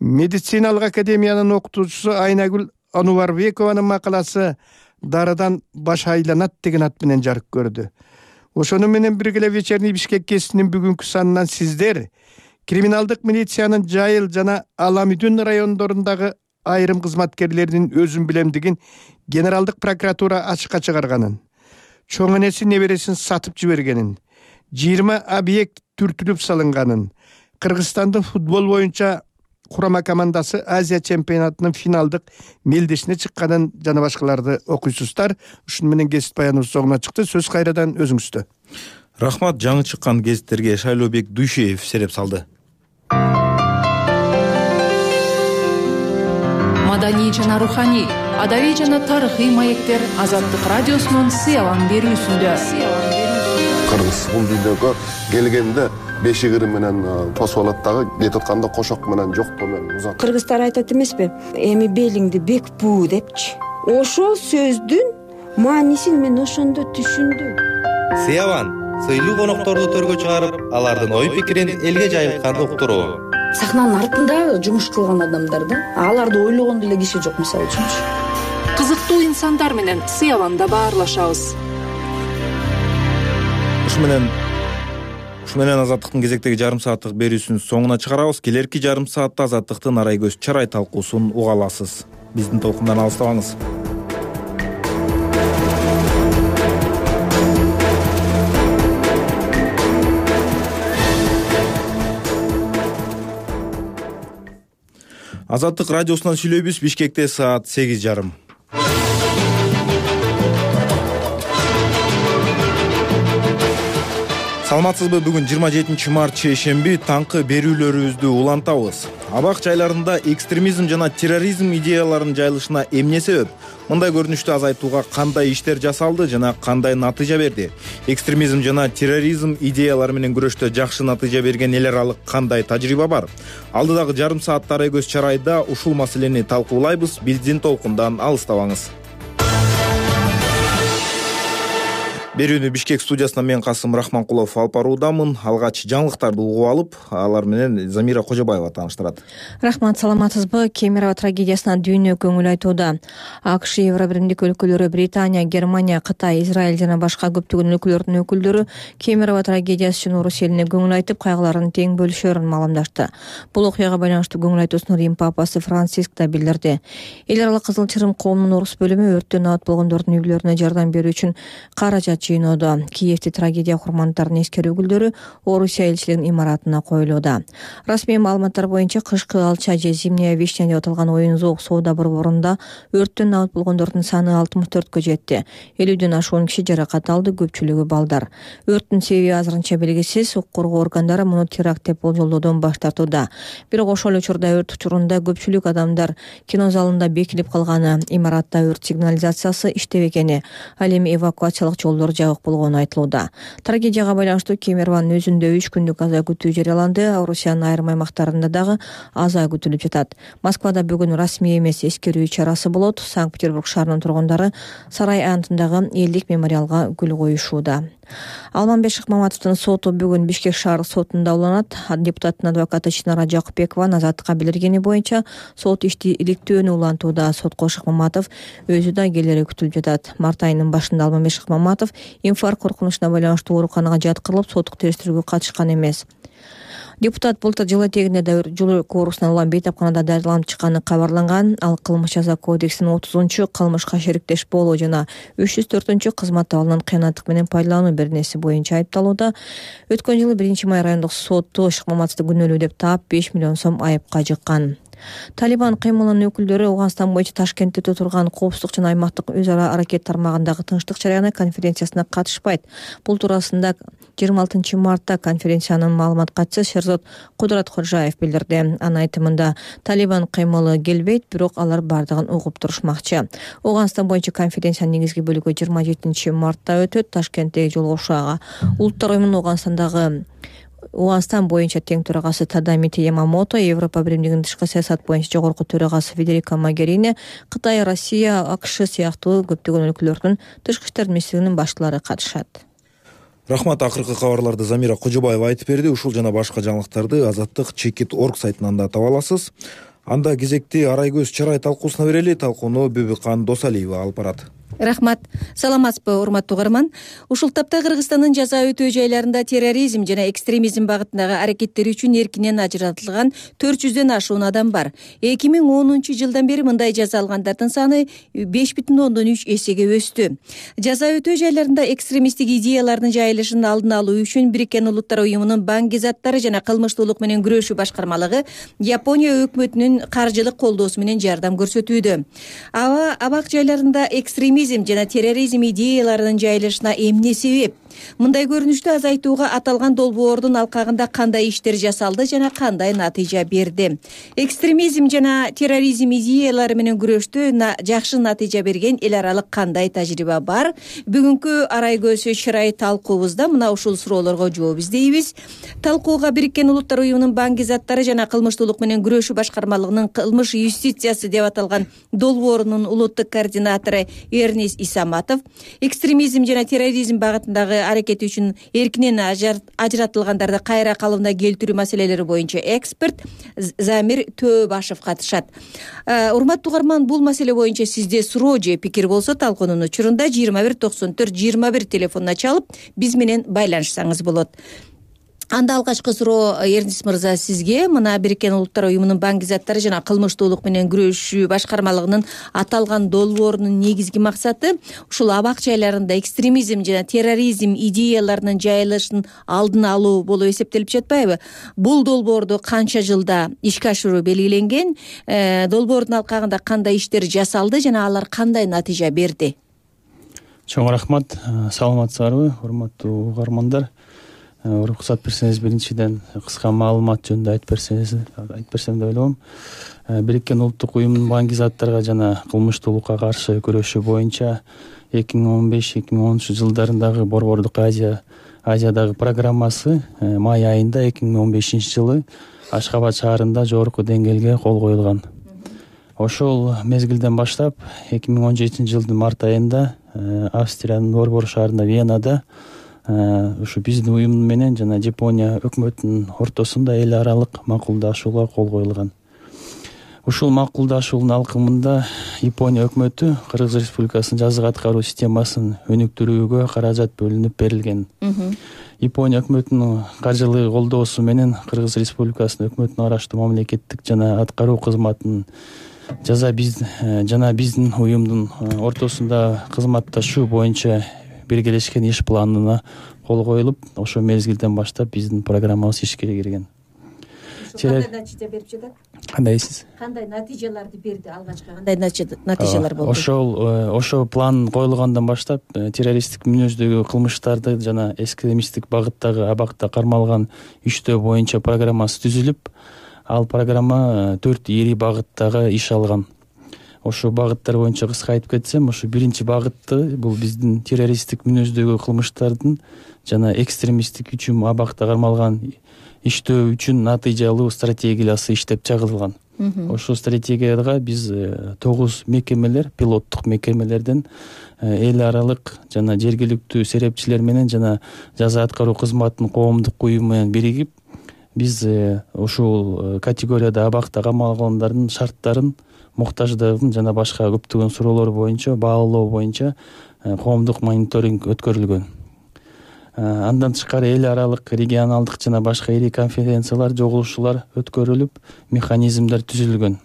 Медициналык академиянын окутуучусу Айнагүл Анубарбекованын макаласы Дарыдан баш айланат деген ат менен жарык көрдү. Ошону менен бирге вечерний Бишкеккесинин бүгүнкү санынан сиздер криминалдык милициянын Жайыл жана Аламүдүн райондорундагы айрым кызматкерлеринин өзүн билемдигин генералдык прокуратура ачыкка чыгарганын, чоң энеси небересин сатып жибергенин, 20 объект түртүлүп салынганын, Кыргызстандын футбол боюнча курама командасы Азия чемпионатынын финалдык мелдешине чыкканын жана башкаларды окуйсуздар. Ушуну менен гезит баяныбыз соңуна чыкты. Сөз кайрадан өзүңүздө. Рахмат. Жаңы чыккан гезиттерге Шайлообек Дүйшеев сереп салды. маданий жана руханий, адабий жана тарыхый маектер Азаттык радиосунун Сыялан берүүсүндө. Кыргыз бул дүйнөгө келгенде бешигири менен тосуп алат дагы, кетип атканда кошок менен жоктоо менен узат. Кыргыздар айтат эмеспи, эми белиңди бек буу депчи. Ошол сөздүн маанисин мен ошондо түшүндүм. Сыялан сыйлуу конокторду төргө чыгарып, алардын ой пикирин элге жайылткан уктуруу. Сахнанын артында жумуш кылган адамдар да, аларды ойлогон деле киши жок, мисалы үчүнчү. Кызыктуу инсандар менен Сыяланда баарлашабыз. Ушу менен Азаттыктын кезектеги жарым сааттык берүүсүнүн соңуна чыгарабыз. Келерки жарым саатта Азаттыктын арай көз чарай талкуусун уга аласыз. Биздин толкундан алыстабаңыз. Азаттык радиосунан сүйлөйбүз. Бишкекте саат 8:30. Саламатсызбы? Бүгүн 27 март чейшемби, таңкы берүүлөрүбүздү улантабыз. Абак жайларында экстремизм жана терроризм идеяларынын жайылышына эмне себеп? Мындай көрүнүштү азайтууга кандай иштер жасалды жана кандай натыйжа берди? Экстремизм жана терроризм идеялары менен күрөштө жакшы натыйжа берген эл аралык кандай тажрыйба бар? Алдыдагы жарым саатта арай көз чарайда ушул маселени талкуулайбыз. Биздин толкундан алыстабаңыз. Берүүнү Бишкек студиясынан мен Касым Рахманкулов алып баруудамын. Алгач жаңылыктарды угуп алып, алар менен Замира Кожобаева тааныштырат. Рахмат, саламатсызбы? Кемерово трагедиясына дүйнө көңүл айтууда. АКШ, Евробиримдик өлкөлөрү, Британия, Германия, Кытай, Израиль жана башка көптөгөн өлкөлөрдүн өкүлдөрү Кемерово трагедиясы үчүн орус элине көңүл айтып, кайгыларын тең бөлүшөрүн маалымдашты. Бул окуяга байланыштуу көңүл айтуусун Рим папасы Франциск да билдирди. Эл аралык Кызыл Чырым коомунун орус бөлүмү өрттөн абат болгондордун үй бүлөлөрүнө жардам берүү үчүн каражат жыйноодо. Киевде трагедия курмандарын эскерүү гүлдөрү Орусия элчилигинин имаратына коюлууда. Расмий маалыматтар боюнча кышкы алча же зимняя вишня деп аталган оюн-зоок соода борборунда өрттөн абат болгондордун саны 64кө жетти. 50ден ашуун киши жаракат алды, көпчүлүгү балдар. Өрттүн себеби азырынча белгисиз. Укук коргоо органдары муну теракт деп болжолдоодон баш тартууда. Бирок ошол учурда өрт учурунда көпчүлүк адамдар кино залында бекилип калганы, имаратта өрт сигнализациясы иштебегени, ал эми эвакуациялык жолдор жабык болгону айтылууда. Трагедияга байланыштуу Кемерованын өзүндө 3 күндүк аза күтүү жарыяланды. Орусиянын айрым аймактарында дагы аза күтүлүп жатат. Москвада бүгүн расмий эмес эскерүү чарасы болот. Санкт-Петербург шаарынын тургундары Сарай айылындагы элдик мемориалга гүл коюшууда. Алманбек Шыкмаматовдун соту бүгүн Бишкек шаардык сотунда уланат. Депутаттын адвокаты Чынара Жакупбекова Азаттыкка билдиргени боюнча сот ишти иликтөөнү улантууда. Сотко Шыкмаматов өзү да келери күтүлүп жатат. Март айынын башында Алманбек Шыкмаматов инфаркт коркунучуна байланыштуу ооруканага жаткырылып, соттук териштирүүгө катышкан эмес. Депутат былтыр жыл этегинде да жол оорусунан улам бейтапканада дарыланып чыкканы кабарланган. Ал кылмыш жаза кодексинин 30 кылмышка шериктеш болуу жана 304 кызмат абалынан кыянаттык менен пайдалануу беренеси боюнча айыпталууда. Өткөн жылы 1-май райондук соту Шыкмаматовду күнөөлүү деп таап 5 миллион сом айыпка жыккан. Талибан кыймылынын өкүлдөрү Ауганстан боюнча Ташкентте турган коопсуздук жана аймактык өз ара аракет тармагындагы тынчтык жарыяны конференциясына катышпайт. Бул туурасында 26 мартта конференциянын маалымат катчысы Шерзот Кудурат Кожаев билдирди. Анын айтымында Талибан кыймылы келбейт, бирок алар бардыгын угуп турушмакчы. Ауганстан боюнча конференциянын негизги бөлүгү 27 мартта өтөт. Ташкенттеги жолугушууга Улуттар уюмунун Ауганстан боюнча тең төрагасы Тадамити Ямамото, Европа биримдигинин тышкы саясат боюнча жогорку төрагасы Федерика Могерини, Кытай, Россия, АКШ сыяктуу көптөгөн өлкөлөрдүн тышкы иштер министрлигинин баштылары катышат. Рахмат, акыркы кабарларды Замира Кожобаева айтып берди. Ушул жана башка жаңылыктарды Азаттык Чекит.org сайтынан да таба аласыз. Анда кезекти арай көз чарай талкуусуна берели. Талкууну Бүбүкан Досалиева алып барат. Рахмат. Саламатсызбы, урматтуу угарман. Ушул тапта Кыргызстандын жаза өтөө жайларында терроризм жана экстремизм багытындагы аракеттери үчүн эркинен ажыратылган 400дөн ашуун адам бар. 2010 жылдан бери мындай жаза алгандардын саны 5,3 эсеге өстү. Жаза өтөө жайларында экстремисттик идеялардын жайылышын алдын алуу үчүн Бириккен Улуттар уюмунун банк заттары жана кылмыштуулук менен күрөшүү башкармалыгы Япония өкмөтүнүн каржылык колдоосу менен жардам көрсөтүүдө. Абак жайларында экстремизм жана терроризм идеяларынын жайылышына эмне себеп? мындай көрүнүштү азайтууга аталган долбоордун алкагында кандай иштер жасалды жана кандай натыйжа берди? Экстремизм жана терроризм идеялары менен күрөштө жакшы натыйжа берген эл аралык кандай тажрыйба бар? Бүгүнкү арай көз чырай талкуубузда мына ушул суроолорго жооп издейбиз. Талкууга Бириккен Улуттар уюмунун баңги заттары жана кылмыштуулук менен күрөшүү башкармалыгынын кылмыш юстициясы деп аталган долбоорунун улуттук координатору Эрнис Исаматов, экстремизм жана терроризм багытындагы аракети үчүн эркинен ажыратылгандарды кайра калыбына келтирүү маселелери боюнча эксперт Замир Төөбашев катышат. Урматтуу угарман, бул маселе боюнча сизде суроо же пикир болсо талкуунун учурунда 2194-21 телефонуна чалып биз менен байланышсаңыз болот. Анда алгачкы суроо Эрнис мырза сизге. Мына Бириккен Улуттар уюмунун баңги заттары жана кылмыштуулук менен күрөшүү башкармалыгынын аталган долбоорунун негизги максаты ушул абак жайларында экстремизм жана терроризм идеяларынын жайылышын алдын алуу болуп эсептелип жатпайбы? Бул долбоорду канча жылда ишке ашыруу белгиленген? Долбоордун алкагында кандай иштер жасалды жана алар кандай натыйжа берди? Чоң рахмат. Саламатсыздарбы, урматтуу угармандар? Уруксат берсеңиз, биринчиден кыска маалымат жөнүндө айтып берсем деп ойлойм. Бириккен улуттук уюмдун баңги заттарга жана кылмыштуулукка каршы күрөшүү боюнча 2015-2013 жылдарындагы Борбордук Азиядагы программасы май айында 2015 жылы Ашхабад шаарында жогорку деңгээлге кол коюлган. Ошол мезгилден баштап 2017 жылдын март айында Австриянын Борбор шаарында Венада ушу биздин уюм менен жана Жапония өкмөтүнүн ортосунда эл аралык макулдашууга кол коюлган. Ушул макулдашуунун алкымында Япония өкмөтү Кыргыз Республикасынын жазык аткаруу системасын өнүктүрүүгө каражат бөлүнүп берилген. Япония өкмөтүнүн каржылык колдоосу менен Кыргыз Республикасынын өкмөтүнө караштуу мамлекеттик жана аткаруу кызматынын жана биздин уюмдун ортосунда кызматташуу боюнча биргелешкен иш планына кол коюлуп, ошол мезгилден баштап биздин программабыз ишке кирген. Кандай натыйжа берип жатат? Кандайсыз? Кандай натыйжаларды берди алгачкы? Кандай натыйжалар болду? Ошол план коюлгандан баштап террористтик мүнөздөгү кылмыштарды жана экстремисттик багыттагы абакта кармалган иштөө боюнча программасы түзүлүп, ал программа 4 ири багыттагы иш алган. Ошо багыттар боюнча кыска айтып кетсем, ошо биринчи багытты бул биздин террористтик мүнөздөгү кылмыштардын жана экстремисттик үчүн абакта кармалган иштөө үчүн натыйжалуу стратегиясы иштеп чыгарылган. Ошол стратегияга биз 9 мекемелер, пилоттук мекемелерден эл аралык жана жергиликтүү серепчилер менен жана жаза аткаруу кызматынын коомдук уюму менен биригип, биз ушул категорияда абакта кармалгандардын шарттарын, муктаждыгын жана башка көптөгөн суроолор боюнча баалоо боюнча коомдук мониторинг өткөрүлгөн. Андан тышкары эл аралык, регионалдык жана башка ири конференциялар, жогулушуулар өткөрүлүп, механизмдер түзүлгөн.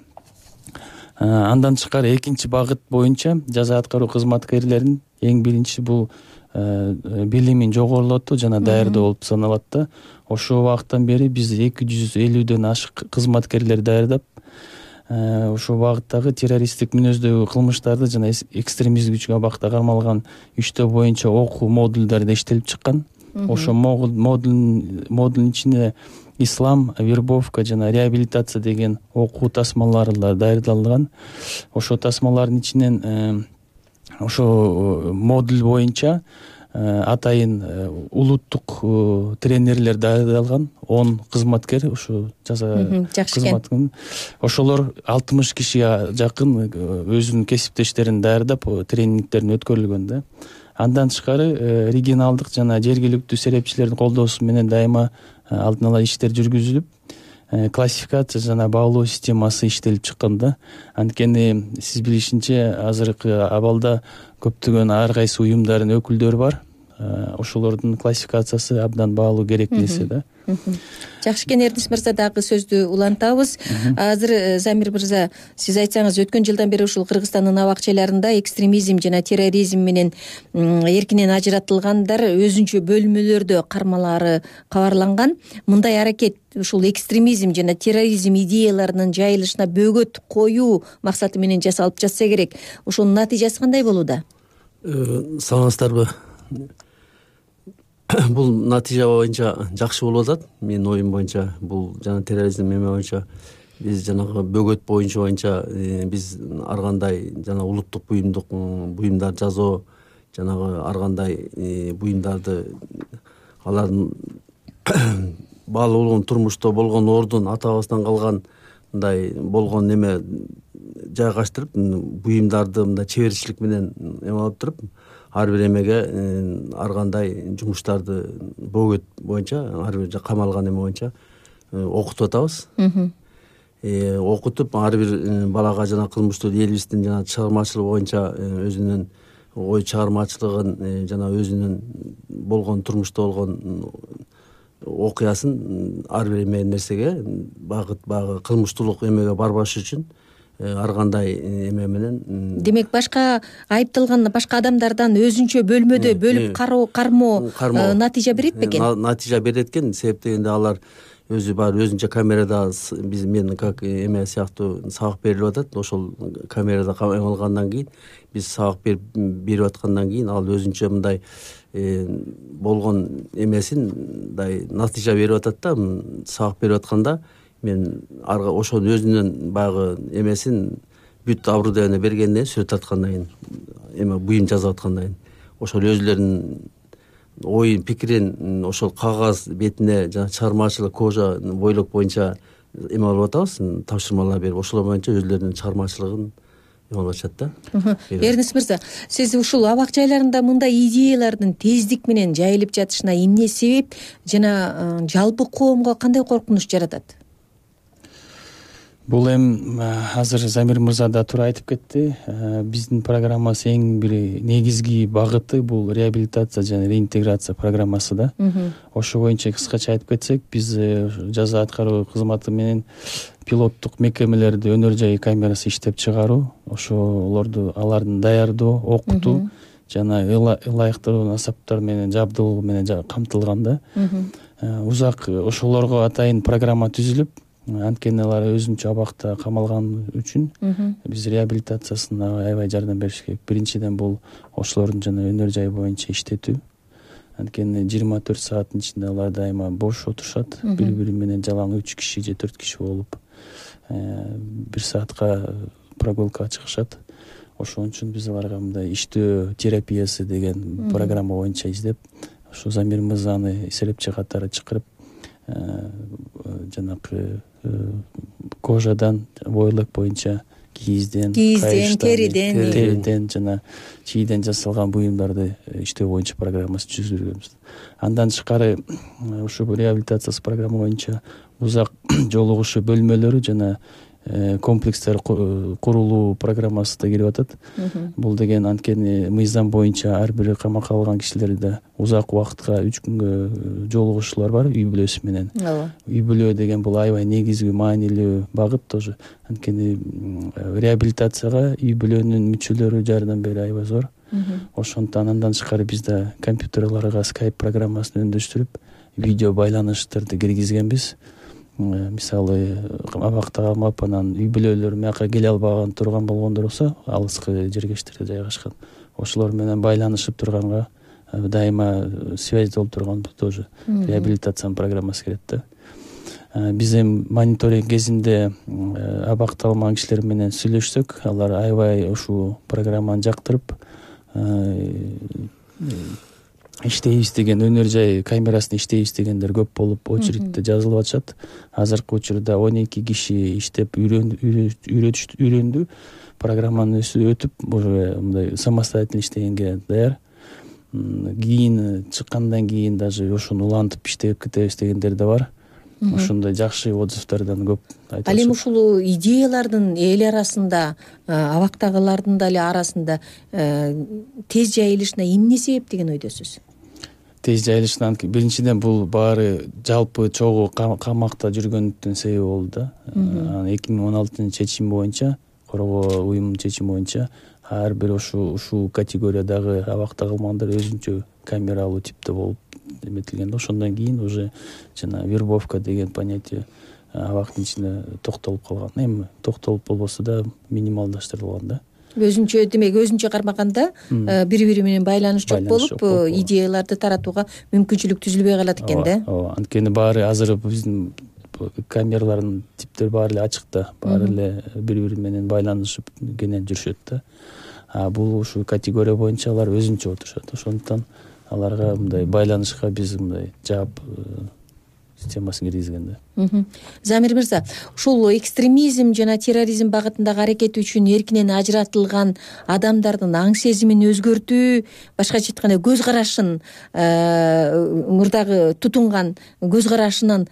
Андан тышкары экинчи багыт боюнча жаза аткаруу кызматкерлеринин эң биринчи бул билимин жогорулатуу жана даярдоо болуп саналат да. Ошол убакыттан бери биз 250ден ашык кызматкерлер даярдап, ошол багыттагы террористтик мүнөздөгү кылмыштарды жана экстремизм үчүн абакта кармалган иштөө боюнча окуу модулдары иштелип чыккан. Ошол модулдун ичинде ислам, вербовка жана реабилитация деген окуу тасмалары даярдалган. Ошол тасмалардын ичинен ошо модуль боюнча атайын улуттук тренерлер даярдалган 10 кызматкер, ушу жаза кызматын. Ошолор 60 кишиге жакын өзүнүн кесиптештерин даярдап тренингтерин өткөрүлгөн да. Андан тышкары регионалдык жана жергиликтүү серепчилердин колдоосу менен дайыма алдын ала иштер жүргүзүлүп, классификация жана баалоо системасы иштелип чыккан да. Анткени сиз билишинче азыркы абалда көптөгөн ар кайсы уюмдардын өкүлдөрү бар. Ошолордун классификациясы абдан баалуу керек нерсе да. Жакшы экен, Эрнис мырза, дагы сөздү улантабыз. Азыр Замир мырза, сиз айтсаңыз, өткөн жылдан бери ушул Кыргызстандын абак жайларында экстремизм жана терроризм менен эркинен ажыратылгандар өзүнчө бөлмөлөрдө кармалары кабарланган. Мындай аракет ушул экстремизм жана терроризм идеяларынын жайылышына бөгөт коюу максаты менен жасалып жатса керек. Ошонун натыйжасы кандай болууда? Саламатсыздарбы? бул натыйжа боюнча жакшы болуп атат. Менин оюм боюнча бул жана терроризм эме боюнча биз жанагы бөгөт боюнча биз ар кандай жана улуттук буюмдар жасоо, жанагы ар кандай буюмдарды алардын баалуу болгон турмушта болгон ордун ата-бабасынан калган мындай болгон неме жайгаштырып, буюмдарды мындай чеберчилик менен эме алып туруп, ар бир эмеге ар кандай жумуштарды бөгөт боюнча, ар бир камалган эме боюнча окутуп атабыз. Окутуп ар бир балага жана кылмыштуу элибиздин жана чыгармачылыгы боюнча өзүнүн ой чыгармачылыгын жана өзүнүн болгон турмушта болгон окуясын ар бир эме нерсеге баягы кылмыштуулук эмеге барбаш үчүн ар кандай эме менен. Демек башка айыпталган башка адамдардан өзүнчө бөлмөдө бөлүп кармоо натыйжа берет бекен? Натыйжа берет экен. Себеп дегенде алар өзү бар өзүнчө камерада мен как эме сыяктуу сабак берилип атат. Ошол камерада эме алгандан кийин биз сабак берип аткандан кийин ал өзүнчө мындай болгон эмесин мындай натыйжа берип атат да. Сабак берип атканда мен ошол өзүнүн баягы эмесин бүт оборудование бергенден сүрөт тарткандан кийин эме буюм жазып аткандан кийин ошол өзүлөрүнүн оюн пикирин ошол кагаз бетине жана чыгармачылык кожа бойлок боюнча эме алып атабыз, тапшырмалар берип ошолор боюнча өзүлөрүнүн чыгармачылыгын эме алып атышат да. Эрнис мырза, сиз ушул абак жайларында мындай идеялардын тездик менен жайылып жатышына эмне себеп жана жалпы коомго кандай коркунуч жаратат? Бул азыр Замир мырза да туура айтып кетти. Биздин программасы эң бир негизги багыты бул реабилитация жана реинтеграция программасы да. Ошо боюнча кыскача айтып кетсек, биз жаза аткаруу кызматы менен пилоттук мекемелерди өнөр жай камерасы иштеп чыгаруу, ошолорду алардын даярдоо, окутуу жана ылайыктуу насаптар менен жабдылоо менен камтылган да. Узак ошолорго атайын программа түзүлүп, анткени алар өзүнчө абакта камалган үчүн биз реабилитациясына аябай жардам бериш керек. Биринчиден бул ошолордун жана өнөр жай боюнча иштетүү. Анткени 24 сааттын ичинде алар дайыма бош отурушат, бири-бири менен жалаң 3 киши же 4 киши болуп 1 саатка прогулкага чыгышат. Ошон үчүн биз аларга мындай иштөө терапиясы деген программа боюнча издеп, ошо Замир мырзаны эсептчи катары чакырып, жанакы кожадан, бойлок боюнча кийизден, териден жана чийден жасалган буюмдарды иштөө боюнча программасы түзүлгөнбүз. Андан тышкары ушу реабилитация программа боюнча узак жолугушуу бөлмөлөрү жана комплекстер курулуу программасы да кирип атат. Бул деген анткени мыйзам боюнча ар бир камакка алган кишилерде узак убакытка 3 күнгө жолугушуулар бар үй бүлөсү менен. Үй бүлө деген бул аябай негизги маанилүү багыт тоже. Анткени реабилитацияга үй бүлөнүн мүчөлөрү жардам берүү аябай зор. Ошондон андан тышкары бизде компьютерларга Skype программасын өндөштүрүп, видео байланыштарды киргизгенбиз. Мисалы абакта калмап анан үй бүлөлөр мияка келе албаган турган болгондор болсо, алыскы жергечтерде жайгашкан, ошолор менен байланышып турганга дайыма связь болуп турган тоже реабилитациянын программасы кирет да. Биз эми мониторинг кезинде абакта калмаган кишилер менен сүйлөшсөк, алар аябай ушул программаны жактырып, иштейбиз деген, өнөр жай камерасында иштейбиз дегендер көп болуп, очередте жазылып атышат. Азыркы учурда 12 киши иштеп үйрөндү, программаны өтүп, уже мындай самостоятельно иштегенге даяр. Кийин чыккандан кийин даже ошону улантып иштеп кетебиз дегендер да бар. Ошондой жакшы отзывдардан көп айтылат. Ал эми ушул идеялардын эл арасында, абактагылардын дагы арасында тез жайылышына эмне себеп деген ойдосуз? Тез жайылышына биринчиден бул баары жалпы чогуу камакта жүргөндүктүн себеби болду да. 2016 чечим боюнча, коргоо уюмунун чечими боюнча ар бир ушул категориядагы абакта калмагандар өзүнчө камералуу типте болуп эметилген. Ошондон кийин уже жана вербовка деген понятие абактын ичинде токтолуп калган. Эми токтолуп болбосо да минималдаштырылган да. өзүнчө демек өзүнчө кармаганда бири бири менен байланыш жок болуп идеяларды таратууга мүмкүнчүлүк түзүлбөй калат экен да. ооба анткени баары азыр биздин камералардын типтери баары эле ачык да, баары эле бири бири менен байланышып кенен жүрүшөт да. Бул ушу категория боюнча алар өзүнчө отурушат. Ошондуктан аларга мындай байланышка биз мындай жаап системасын киргизген да. Замир мырза, ушул экстремизм жана терроризм багытындагы аракети үчүн эркинен ажыратылган адамдардын аң сезимин өзгөртүү, башкача айтканда көз карашын, мурдагы тутунган көз карашынан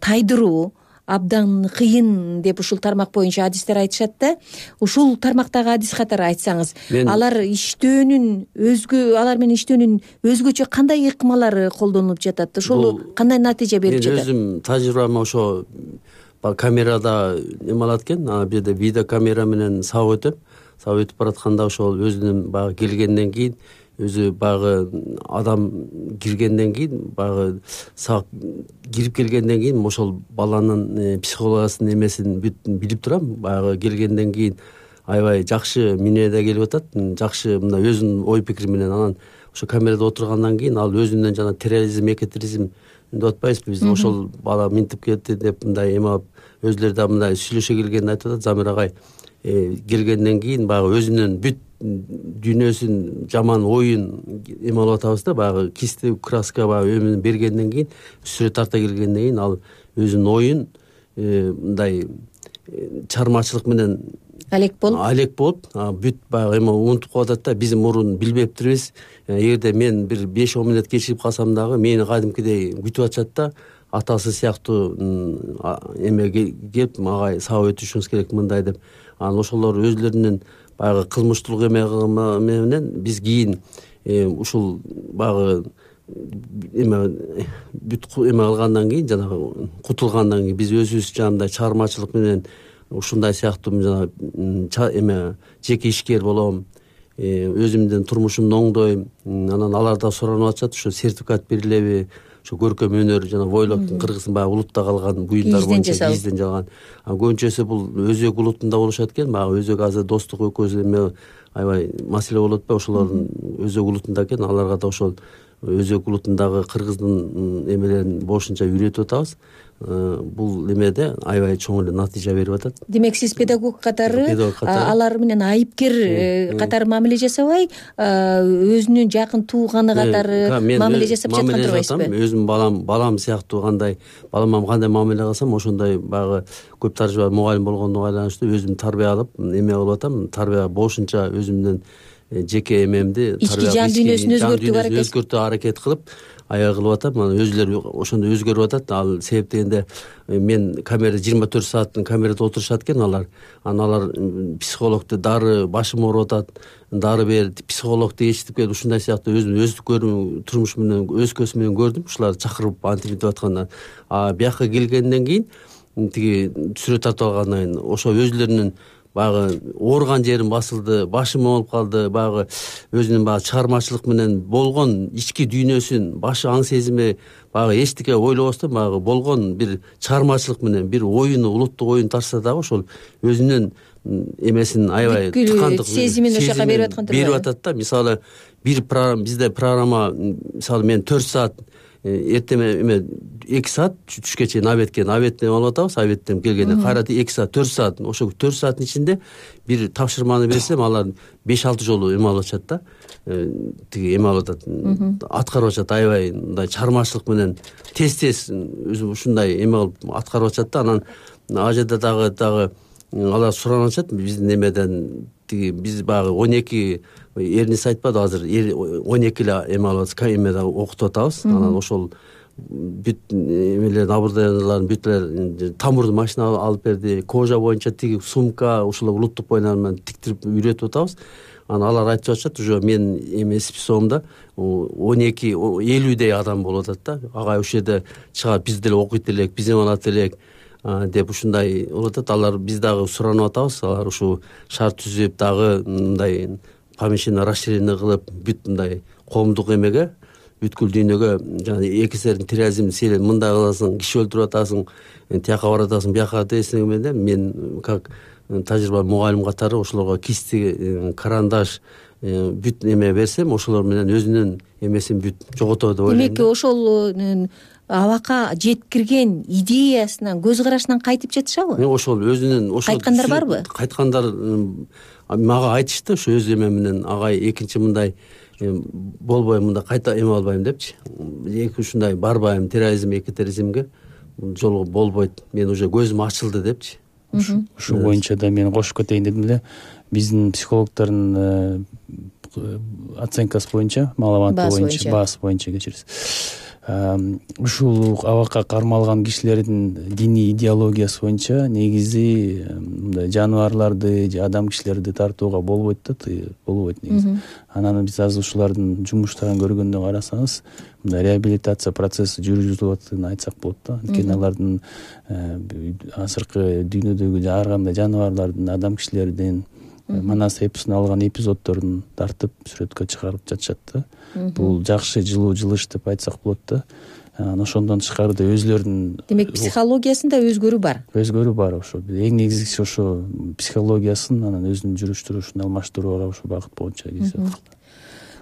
тайдыруу абдан кыйын деп ушул тармак боюнча адистер айтышат да. Ушул тармактагы адис катары айтсаңыз, алар менен иштөөнүн өзгөчө кандай ыкмалары колдонулуп жатат? Ошол кандай натыйжа берип жатат? Мен өзүм тажрыйбама ошо камерада эме алат экен, бул жерде видео камера менен сабап өтөм. Сабап өтүп баратканда ошол өзүнүн баягы келгенден кийин өзү баягы адам киргенден кийин баягы кирип келгенден кийин ошол баланын психологиясынын эмесин билип турам. Баягы келгенден кийин аябай жакшы мүнөдө келип атат, жакшы мындай өзүнүн ой пикири менен. Анан ошо камерада отургандан кийин ал өзүнөн жана терроризм, экотерроризм деп атпайбызбы биз, ошол бала минтип кетти деп мындай эме алып өзүлөрү да мындай сүйлөшө келгенин айтып атат. Замир агай келгенден кийин баягы өзүнүн бүт дүйнөсүн, жаман оюн эме алып атабыз да, баягы кисти краска баягы өмүн бергенден кийин, сүрөт тарта келгенден кийин ал өзүнүн оюн мындай чыгармачылык менен алек болуп бүт баягы эме унутуп калып атат да. Биз мурун билбептирбиз. Эгерде мен бир 5-10 мүнөт кечирип калсам дагы мени кадимкидей күтүп атышат да. Атасы сыяктуу эме келип агай сабап өтүшүңүз керек мындай деп. Анан ошолор өзлөрүнүн баягы кылмыштуулук эме менен биз кийин ушул баягы бүт эме алгандан кийин, жанагы кутулгандан кийин биз өзүбүз жанагындай чыгармачылык менен ушундай сыяктуу эме жеке ишкер болом, өзүмдүн турмушумду оңдойм. Анан аларда суранып атышат, ошо сертификат берилеби, ошо көркөм өнөр жана бойлок кыргыздын баягы улутта калган буюмдар боюнча кийизден жалган. Көбүнчөсү бул өзөк улутунда болушат экен. Баягы өзөк азыр достук экөөбүз эме аябай маселе болуп атпайбы? Ошолордун өзөк улутунда экен. Аларга да ошол өзөк улутундагы кыргыздын эмелерин болушунча үйрөтүп атабыз. Бул эмеде аябай чоң эле натыйжа берип атат. Демек сиз педагог катары алар менен айыпкер катары мамиле жасабай, өзүнүн жакын тууганы катары мамиле жасап жаткан турбайсызбы? Өзүм балам сыяктуу балама кандай мамиле кылсам ошондой баягы көп тажрыйба мугалим болгондо байланыштуу өзүм тарбия алып эме болуп атам. Тарбия болушунча өзүмдүн жеке эмемди ички жан дүйнөсүн өзгөртүүгө аракет кылып аябай кылып атам. Анан өзүлөрү ошондой өзгөрүп атат. Ал себеп дегенде мен камерада 24 саат камерада отурушат экен алар. Анан алар психологду дары башым ооруп атат, дары бер, психологду ээрчитип келип ушундай сыяктуу өзүм турмуш менен өз көзүм менен көрдүм. Ушуларды чакырып антип атканда бияка келгенден кийин тиги сүрөт тартып алгандан кийин ошо өзүлөрүнүн баягы ооруган жерим басылды, башым ооруп калды, баягы өзүнүн баягы чыгармачылык менен болгон ички дүйнөсүн, башы аң сезими баягы эчтеке ойлобостон баягы болгон бир чыгармачылык менен бир оюну, улуттук оюн тартса дагы ошол өзүнүн эмесин аябай тыкандык сезимин ошол жака берип аткан берип атат да. Мисалы бизде программа, мисалы мен 4 саат эртеме 2 саат түшкө чейин обедтен алып атабыз. Обедтен келгенде кайра 2 саат 4 саат. Ошо 4 сааттын ичинде бир тапшырманы берсем, алар 5-6 жолу эме алып атышат да. Тиги эме алып атат, аткарып атышат. Аябай мындай чыгармачылык менен тез өзү ушундай эме кылып аткарып атышат да. Анан ал жерде дагы алар суранып атышат биздин эмеден. Тиги биз баягы 12 эрниси айтпады, азыр 12 эле эме алып атабыз, эмеде окутуп атабыз. Анан ошол бүт эмелердин абурдаяларын бүтлөр тамурдун машина алып берди, кожа боюнча тиги сумка, ошол улуттук боюнан менен тиктирип үйрөтүп атабыз. Анан алар айтып атышат, уже мен эме списогумда 50 адам болуп атат да. Агай ушул жерде чыгат, биз деле окуйт элек, биз эме алат элек деп ушундай болуп атат. Алар биз дагы суранып атабыз. Алар ушу шарт түзүп дагы мындай помещение расширение кылып бүт мындай коомдук эмеге, бүткүл дүйнөгө жана экисерин терроризм сен мындай кыласың, киши өлтүрүп атасың, тияка баратасың, бияка десең менен мен как тажрыйба мугалим катары ошолорго кисти, карандаш бүт эме берсем, ошолор менен өзүнүн эмесин бүт жоготот деп ойлойм. Демек ошол абакка жеткирген идеясынан, көз карашынан кайтып жатышабы? Ошол өзүнүн кайткандар барбы? Кайткандар мага айтышты, ошо өз эме менен агай экинчи мындай болбойм, мында кайта эме албайм депчи. Эки ушундай барбайм эки терроризмге жолго болбойт. Мен уже көзүм ачылды депчи. Ушул боюнча да мен кошуп кетейин дедим эле. Биздин психологдордун оценкасы боюнча, маалыматы боюнча, баасы боюнча кечириз. Ушул абакка кармалган кишилердин диний идеологиясы боюнча негизи мындай жаныбарларды же адам кишилерди тартууга болбойт да, болбойт негизи. Анан биз азыр ушулардын жумуштарын көргөндө карасаңыз, мындай реабилитация процесси жүргүзүлүп атканын айтсак болот да. Анткени алардын азыркы дүйнөдөгү ар кандай жаныбарлардын, адам кишилердин Манас эпосунан алган эпизоддорун тартып сүрөткө чыгарып жатышат да. Бул жакшы жылуу жылыш деп айтсак болот да. Ошондон тышкары өзүлөрүнүн демек психологиясында өзгөрүү бар. Өзгөрүү бар ошо. Эң негизгиси ошо психологиясын, анан өзүнүн жүрүш турушун алмаштырууга ошо багыт боюнча кезип.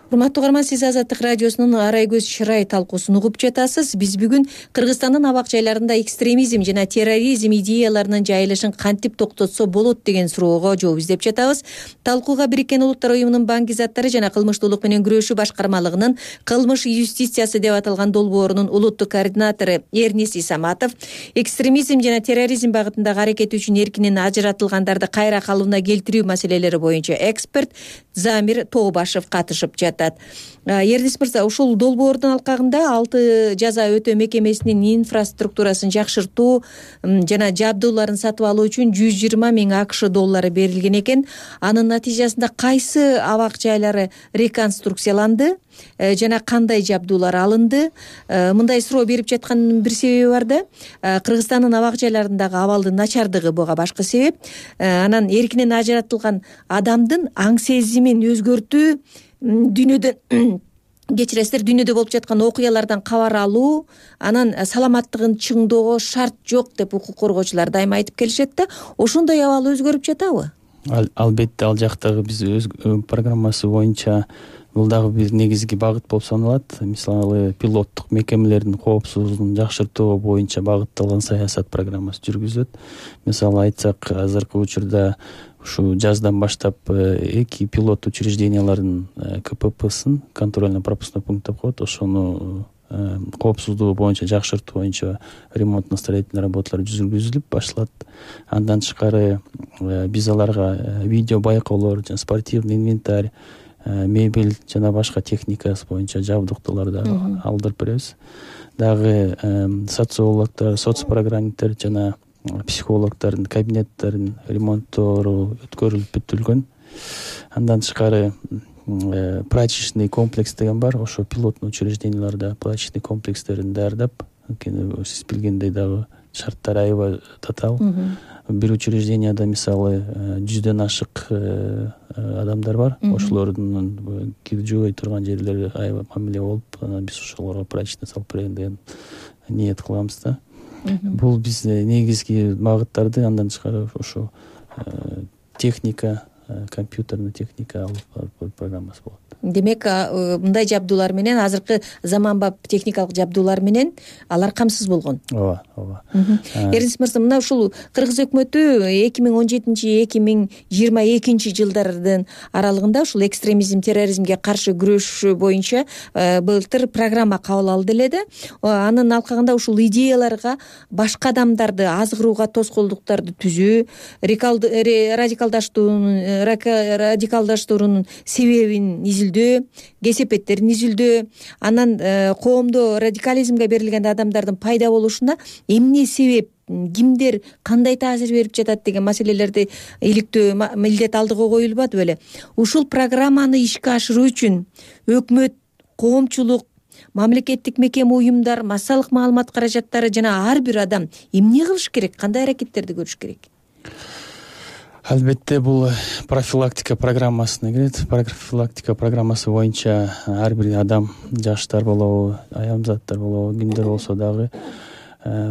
Урматтуу угарман, сиз Азаттык радиосунун Арай көз чырай талкуусун угуп жатасыз. Биз бүгүн Кыргызстандын абак жайларында экстремизм жана терроризм идеяларынын жайылышын кантип токтотсо болот деген суроого жооп издеп жатабыз. Талкууга Бириккен Улуттар уюмунун банк заттары жана кылмыштуулук менен күрөшүү башкармалыгынын кылмыш юстициясы деп аталган долбоорунун улуттук координатору Эрнис Исаматов, экстремизм жана терроризм багытындагы аракети үчүн эркинен ажыратылгандарды кайра калыбына келтирүү маселелери боюнча эксперт Замир Тообашев катышып жатат. Эрнис мырза, ушул долбоордун алкагында 6 жаза өтөө мекемесинин инфраструктурасын жакшыртуу жана жабдууларын сатып алуу үчүн 120 миң АКШ доллары берилген экен. Анын натыйжасында кайсы абак жайлары реконструкцияланды жана кандай жабдуулар алынды? Мындай суроо берип жатканын бир себеби бар да. Кыргызстандын абак жайларындагы абалдын начардыгы буга башкы себеп. Анан эркинен ажыратылган адамдын аң сезимин өзгөртүү, дүйнөдө кечиресиздер, дүйнөдө болуп жаткан окуялардан кабар алуу, анан саламаттыгын чыңдоого шарт жок деп укук коргоочулар дайыма айтып келишет да. Ошондой абал өзгөрүп жатабы? Албетте, ал жактагы биз өз программасы боюнча бул дагы бир негизги багыт болуп саналат. Мисалы, пилоттук мекемелердин коопсуздугун жакшыртуу боюнча багытталган саясат программасы жүргүзүлөт. Мисалы айтсак, азыркы учурда ушу жаздан баштап 2 пилот учреждениялардын КППсын, контрольно-пропускной пункт деп коет, ошону коопсуздугу боюнча жакшыртуу боюнча ремонтно-строительный работалар жүргүзүлүп башталат. Андан тышкары биз аларга видео байкоолор жана спортивный инвентарь, мебель жана башка техникасы боюнча жабдыктууларды алдырып беребиз. Дагы социологдор, соцпрограммиттер жана психологдордун кабинеттерин ремонттору өткөрүлүп бүтүлгөн. Андан тышкары прачечный комплекс деген бар. Ошо пилотный учрежденияларда прачечный комплекстерин даярдап, сиз билгендей дагы шарттар аябай татаал. Бир учрежденияда мисалы 100дөн ашык адамдар бар. Ошолордун киржибей турган жерлери аябай мамиле болуп, анан биз ошолорго прачечный салып берген деген ниет кылабыз да. Бул биз негизги багыттарды, андан тышкары ошо техника, компьютерный техника алып программасы болот. Демек, мындай жабдуулар менен, азыркы заманбап техникалык жабдуулар менен алар камсыз болгон. Ооба. Эрнис мырза, мына ушул Кыргыз өкмөтү 2017-2022 жылдардын аралыгында ушул экстремизм, терроризмге каршы күрөш боюнча былтыр программа кабыл алды эле да. Анын алкагында ушул идеяларга башка адамдарды азгырууга тоскоолдуктарды түзүү, радикалдаштуунун себебин изилдөө, кесепеттерин изилдөө, анан коомдо радикализмге берилген адамдардын пайда болушуна эмне себеп, кимдер кандай таасир берип жатат деген маселелерди иликтөө милдет алдыга коюлбады беле. Ушул программаны ишке ашыруу үчүн өкмөт, коомчулук, мамлекеттик мекеме, уюмдар, массалык маалымат каражаттары жана ар бир адам эмне кылыш керек, кандай аракеттерди көрүш керек? Албетте, бул профилактика программасына кирет. Профилактика программасы боюнча ар бир адам, жаштар болобу, аямзаттар болобу, кимдер болсо дагы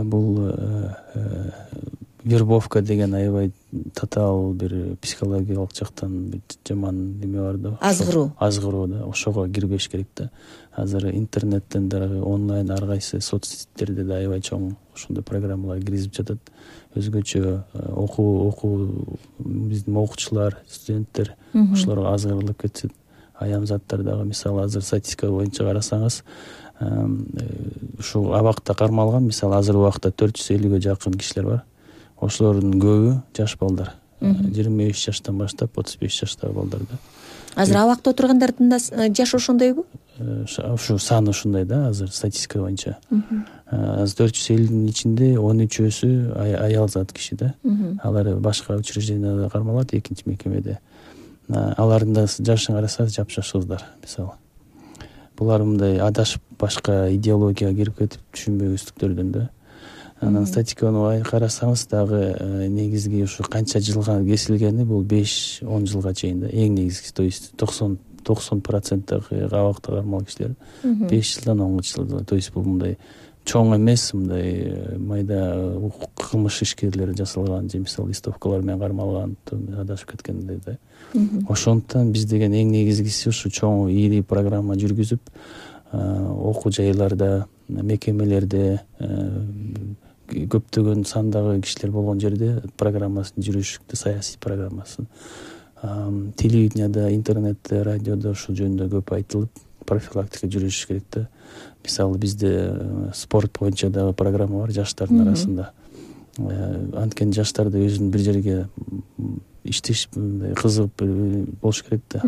бул вербовка деген аябай татаал бир психологиялык жактан бир жаман неме бар да, азгыруу да, ошого кирбеш керек да. Азыр интернеттен дагы онлайн ар кайсы соц сеттерде да аябай чоң ошондой программалар киргизип жатат. Өзгөчө окуу биздин окуучулар, студенттер ошолорго азгырылып кетет. Аян заттар дагы, мисалы азыр статистика боюнча карасаңыз, ушул абакта кармалган, мисалы азыр убакта 450ге жакын кишилер бар. Ошолордун көбү жаш балдар. 25 жаштан баштап 35 жаштагы балдар да. Азыр абакта отургандардын да жашы ошондойбу? Ушу сан ушундай да, азыр статистика боюнча. Азыр 450дин ичинде 13өсү аял зат киши да. Алар башка учрежденияда кармалат, экинчи мекемеде. Алардын да жашын карасаңыз жапжаш кыздар, мисалы. Булар мындай адашып башка идеологияга кирип кетип түшүнбөйсүздүктөрдөн да. Анан статистиканы карасаңыз дагы негизги ушу канча жылга кесилгени бул 5-10 жылга чейин да. Эң негизгиси, то есть 90% абакта кармалган кишилер 5 жылдан 10 жылга. То есть бул мындай чоң эмес, мындай майда кылмыш ишкерлери жасалган же мисалы листовкалар менен кармалган, адашып кеткендей да. Ошондуктан биз деген эң негизгиси ушу чоң ийри программа жүргүзүп, окуу жайларда, мекемелерде, көптөгөн сандагы кишилер болгон жерде программасын жүргүзүштү, саясий программасын. Телевиденияда, интернетте, радиодо ушул жөнүндө көп айтылып, профилактика жүргүзүш керек да. Мисалы бизде спорт боюнча дагы программа бар жаштардын арасында. Анткени жаштарды өзүнүн бир жерге иштеш кызыгып болуш керек да.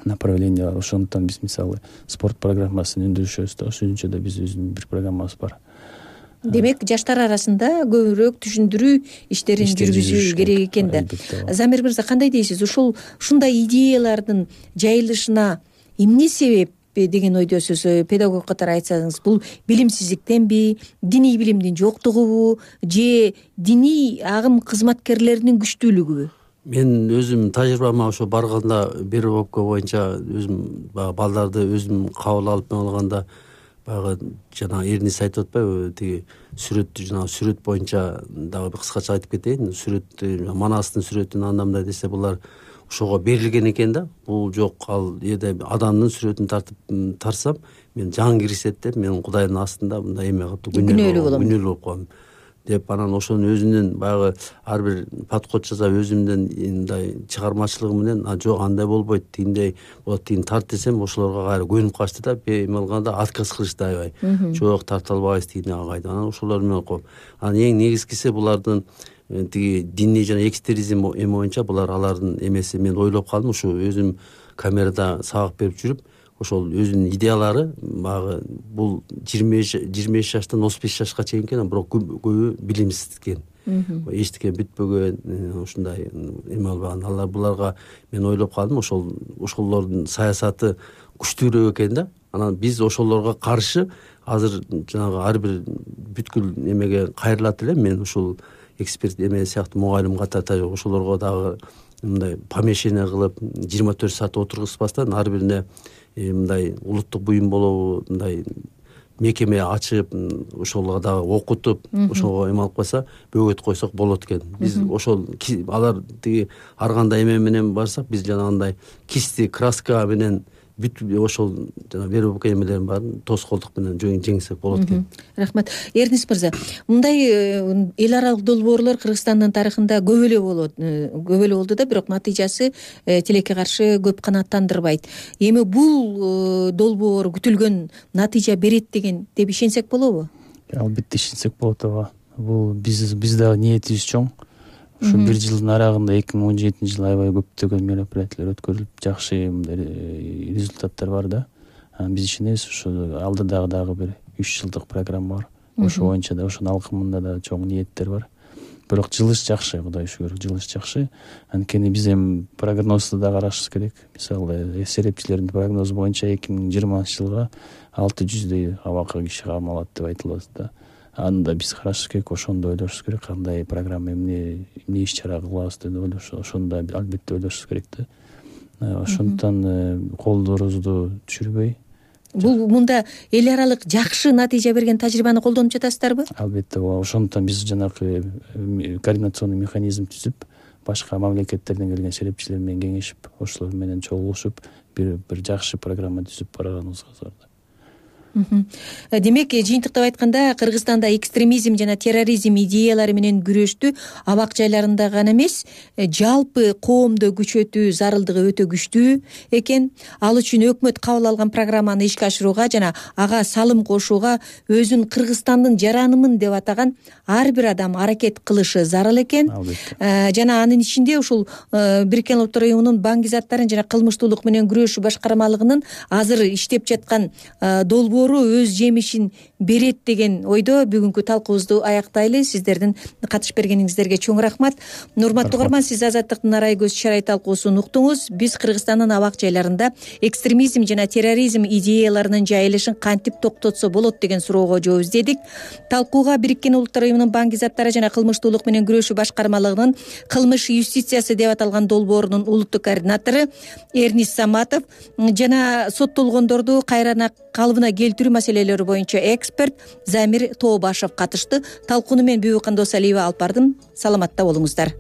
Направление бар. Ошондуктан биз мисалы спорт программасын өндүрүшөбүз да. Ошончо да биз өзүнүн бир программабыз бар. Демек жаштар арасында көбүрөөк түшүндүрүү иштерин жүргүзүү керек экен да. Замир мырза, кандай дейсиз? Ушундай идеялардын жайылышына эмне себеп деген ойдосуз? Педагог катары айтсаңыз, бул билимсиздиктенби, диний билимдин жоктугубу же диний агым кызматкерлеринин күчтүүлүгүбү? Мен өзүм тажрыйбама ошо барганда вербовка боюнча өзүм балдарды өзүм кабыл алып алганда баягы жана Эрнис айтып атпайбы, тиги сүрөт боюнча дагы кыскача айтып кетейин. Сүрөт Манастын сүрөтүн андамдай десе булар ошого берилген экен да. Бул жок, ал жерде адамдын сүрөтүн тарсам мен жан киргизет деп, мен Кудайдын астында мындай эме кылып күнөөлүү болуп калам деп, анан ошонун өзүнүн баягы ар бир подход жасап өзүмдүн мындай чыгармачылыгы менен жок андай болбойт, тигиндей болот, тигин тарт десем ошолорго кайра көнүп калышты да, эме кылганда отказ кылышты аябай. Жок, тарта албайбыз тигине кайда. Анан ошолор менен коп. Анан эң негизгиси булардын тиги диний жана экстремизм эме боюнча булар алардын эмеси. Мен ойлоп калдым, ушу өзүм камерада сабак берип жүрүп, ошол өзүнүн идеялары баягы бул 25 жаштан 35 жашка чейин экен, бирок көбү билимсиз экен. Эчтеке бүтпөгөн, ушундай эме албаган. Алар буларга мен ойлоп калдым, ошолордун саясаты күчтүүрөөк экен да. Анан биз ошолорго каршы азыр жанагы ар бир бүткүл эмеге кайрылат элем. Мен ушул эксперт эме сыяктуу мугалим катары ошолорго дагы мындай помещение кылып 24 саат отургузбастан ар бирине мындай улуттук буюм болобу, мындай мекеме ачып, ошолго дагы окутуп, ошого эме алып койсо, бөгөт койсок болот экен. Биз ошол алар тиги ар кандай эме менен барсак, биз жанагындай кисти, краска менен бүт ошол жана вербовка эмелерин баарын тоскоолдук менен жеңсек болот экен. Рахмат. Эрнис мырза, мындай эл аралык долбоорлор Кыргызстандын тарыхында көп эле болду да, бирок натыйжасы тилекке каршы көп канааттандырбайт. Эми бул долбоор күтүлгөн натыйжа берет деп ишенсек болобу? Албетте ишенсек болот ооба. Бул биз дагы ниетибиз чоң. Ушу бир жылдын арагында 2017 аябай көптөгөн мероприятиялар өткөрүлүп, жакшы результаттар бар да. Биз ишенебиз, ушу алдыдагы дагы бир 3 жылдык программа бар. Ошо боюнча да, ошонун алкымында да чоң ниеттер бар. Бирок жылыш жакшы, Кудайга шүгүр, жылыш жакшы. Анткени биз эми прогнозду да карашыбыз керек. Мисалы, эсептчилердин прогнозу боюнча 2020-жылга 600 абакка киши кармалат деп айтылат да. Анда биз карашыбыз керек, ошондо ойлошубуз керек, кандай программа, эмне иш чара кылабыз деп ойлошубуз, ошондо албетте ойлошубуз керек да. Ошондуктан колдорубузду түшүрбөй, бул мында эл аралык жакшы натыйжа берген тажрыйбаны колдонуп жатасыздарбы? Албетте, ошондуктан биз жанагы координационный механизм түзүп, башка мамлекеттерден келген серепчилер менен кеңешип, ошолор менен чогулушуп бир жакшы программа түзүп барганыбызга зордо. Демек, жыйынтыктап айтканда, Кыргызстанда экстремизм жана терроризм идеялары менен күрөштү абак жайларында гана эмес, жалпы коомдо күчөтүү зарылдыгы өтө күчтүү экен. Ал үчүн өкмөт кабыл алган программаны ишке ашырууга жана ага салым кошууга өзүн Кыргызстандын жаранымын деп атаган ар бир адам аракет кылышы зарыл экен. Жана анын ичинде ушул Бириккен Улуттар Уюмунун баңгизаттарын жана кылмыштуулук менен күрөшүү башкармалыгынын азыр иштеп жаткан долбоору өз жемишин берет деген ойдо бүгүнкү талкуубузду аяктайлы. Сиздердин катышып бергениңиздерге чоң рахмат. Урматтуу угарман, сиз Азаттыктын Арай көз чарай талкуусун уктуңуз. Биз Кыргызстандын абак жайларында экстремизм жана терроризм идеяларынын жайылышын кантип токтотсо болот деген суроого жооп издедик. Талкууга Бириккен Улуттар Уюмунун баңгизаттары жана кылмыштуулук менен күрөшүү башкармалыгынын кылмыш юстициясы деп аталган долбоорунун улуттук координатору Эрнис Саматов жана соттолгондорду кайра калыбына келтирүү маселелери боюнча эксперт Замир Тообашев катышты. Талкууну мен Бүбү Кандосалиева алып бардым. Саламатта болуңуздар.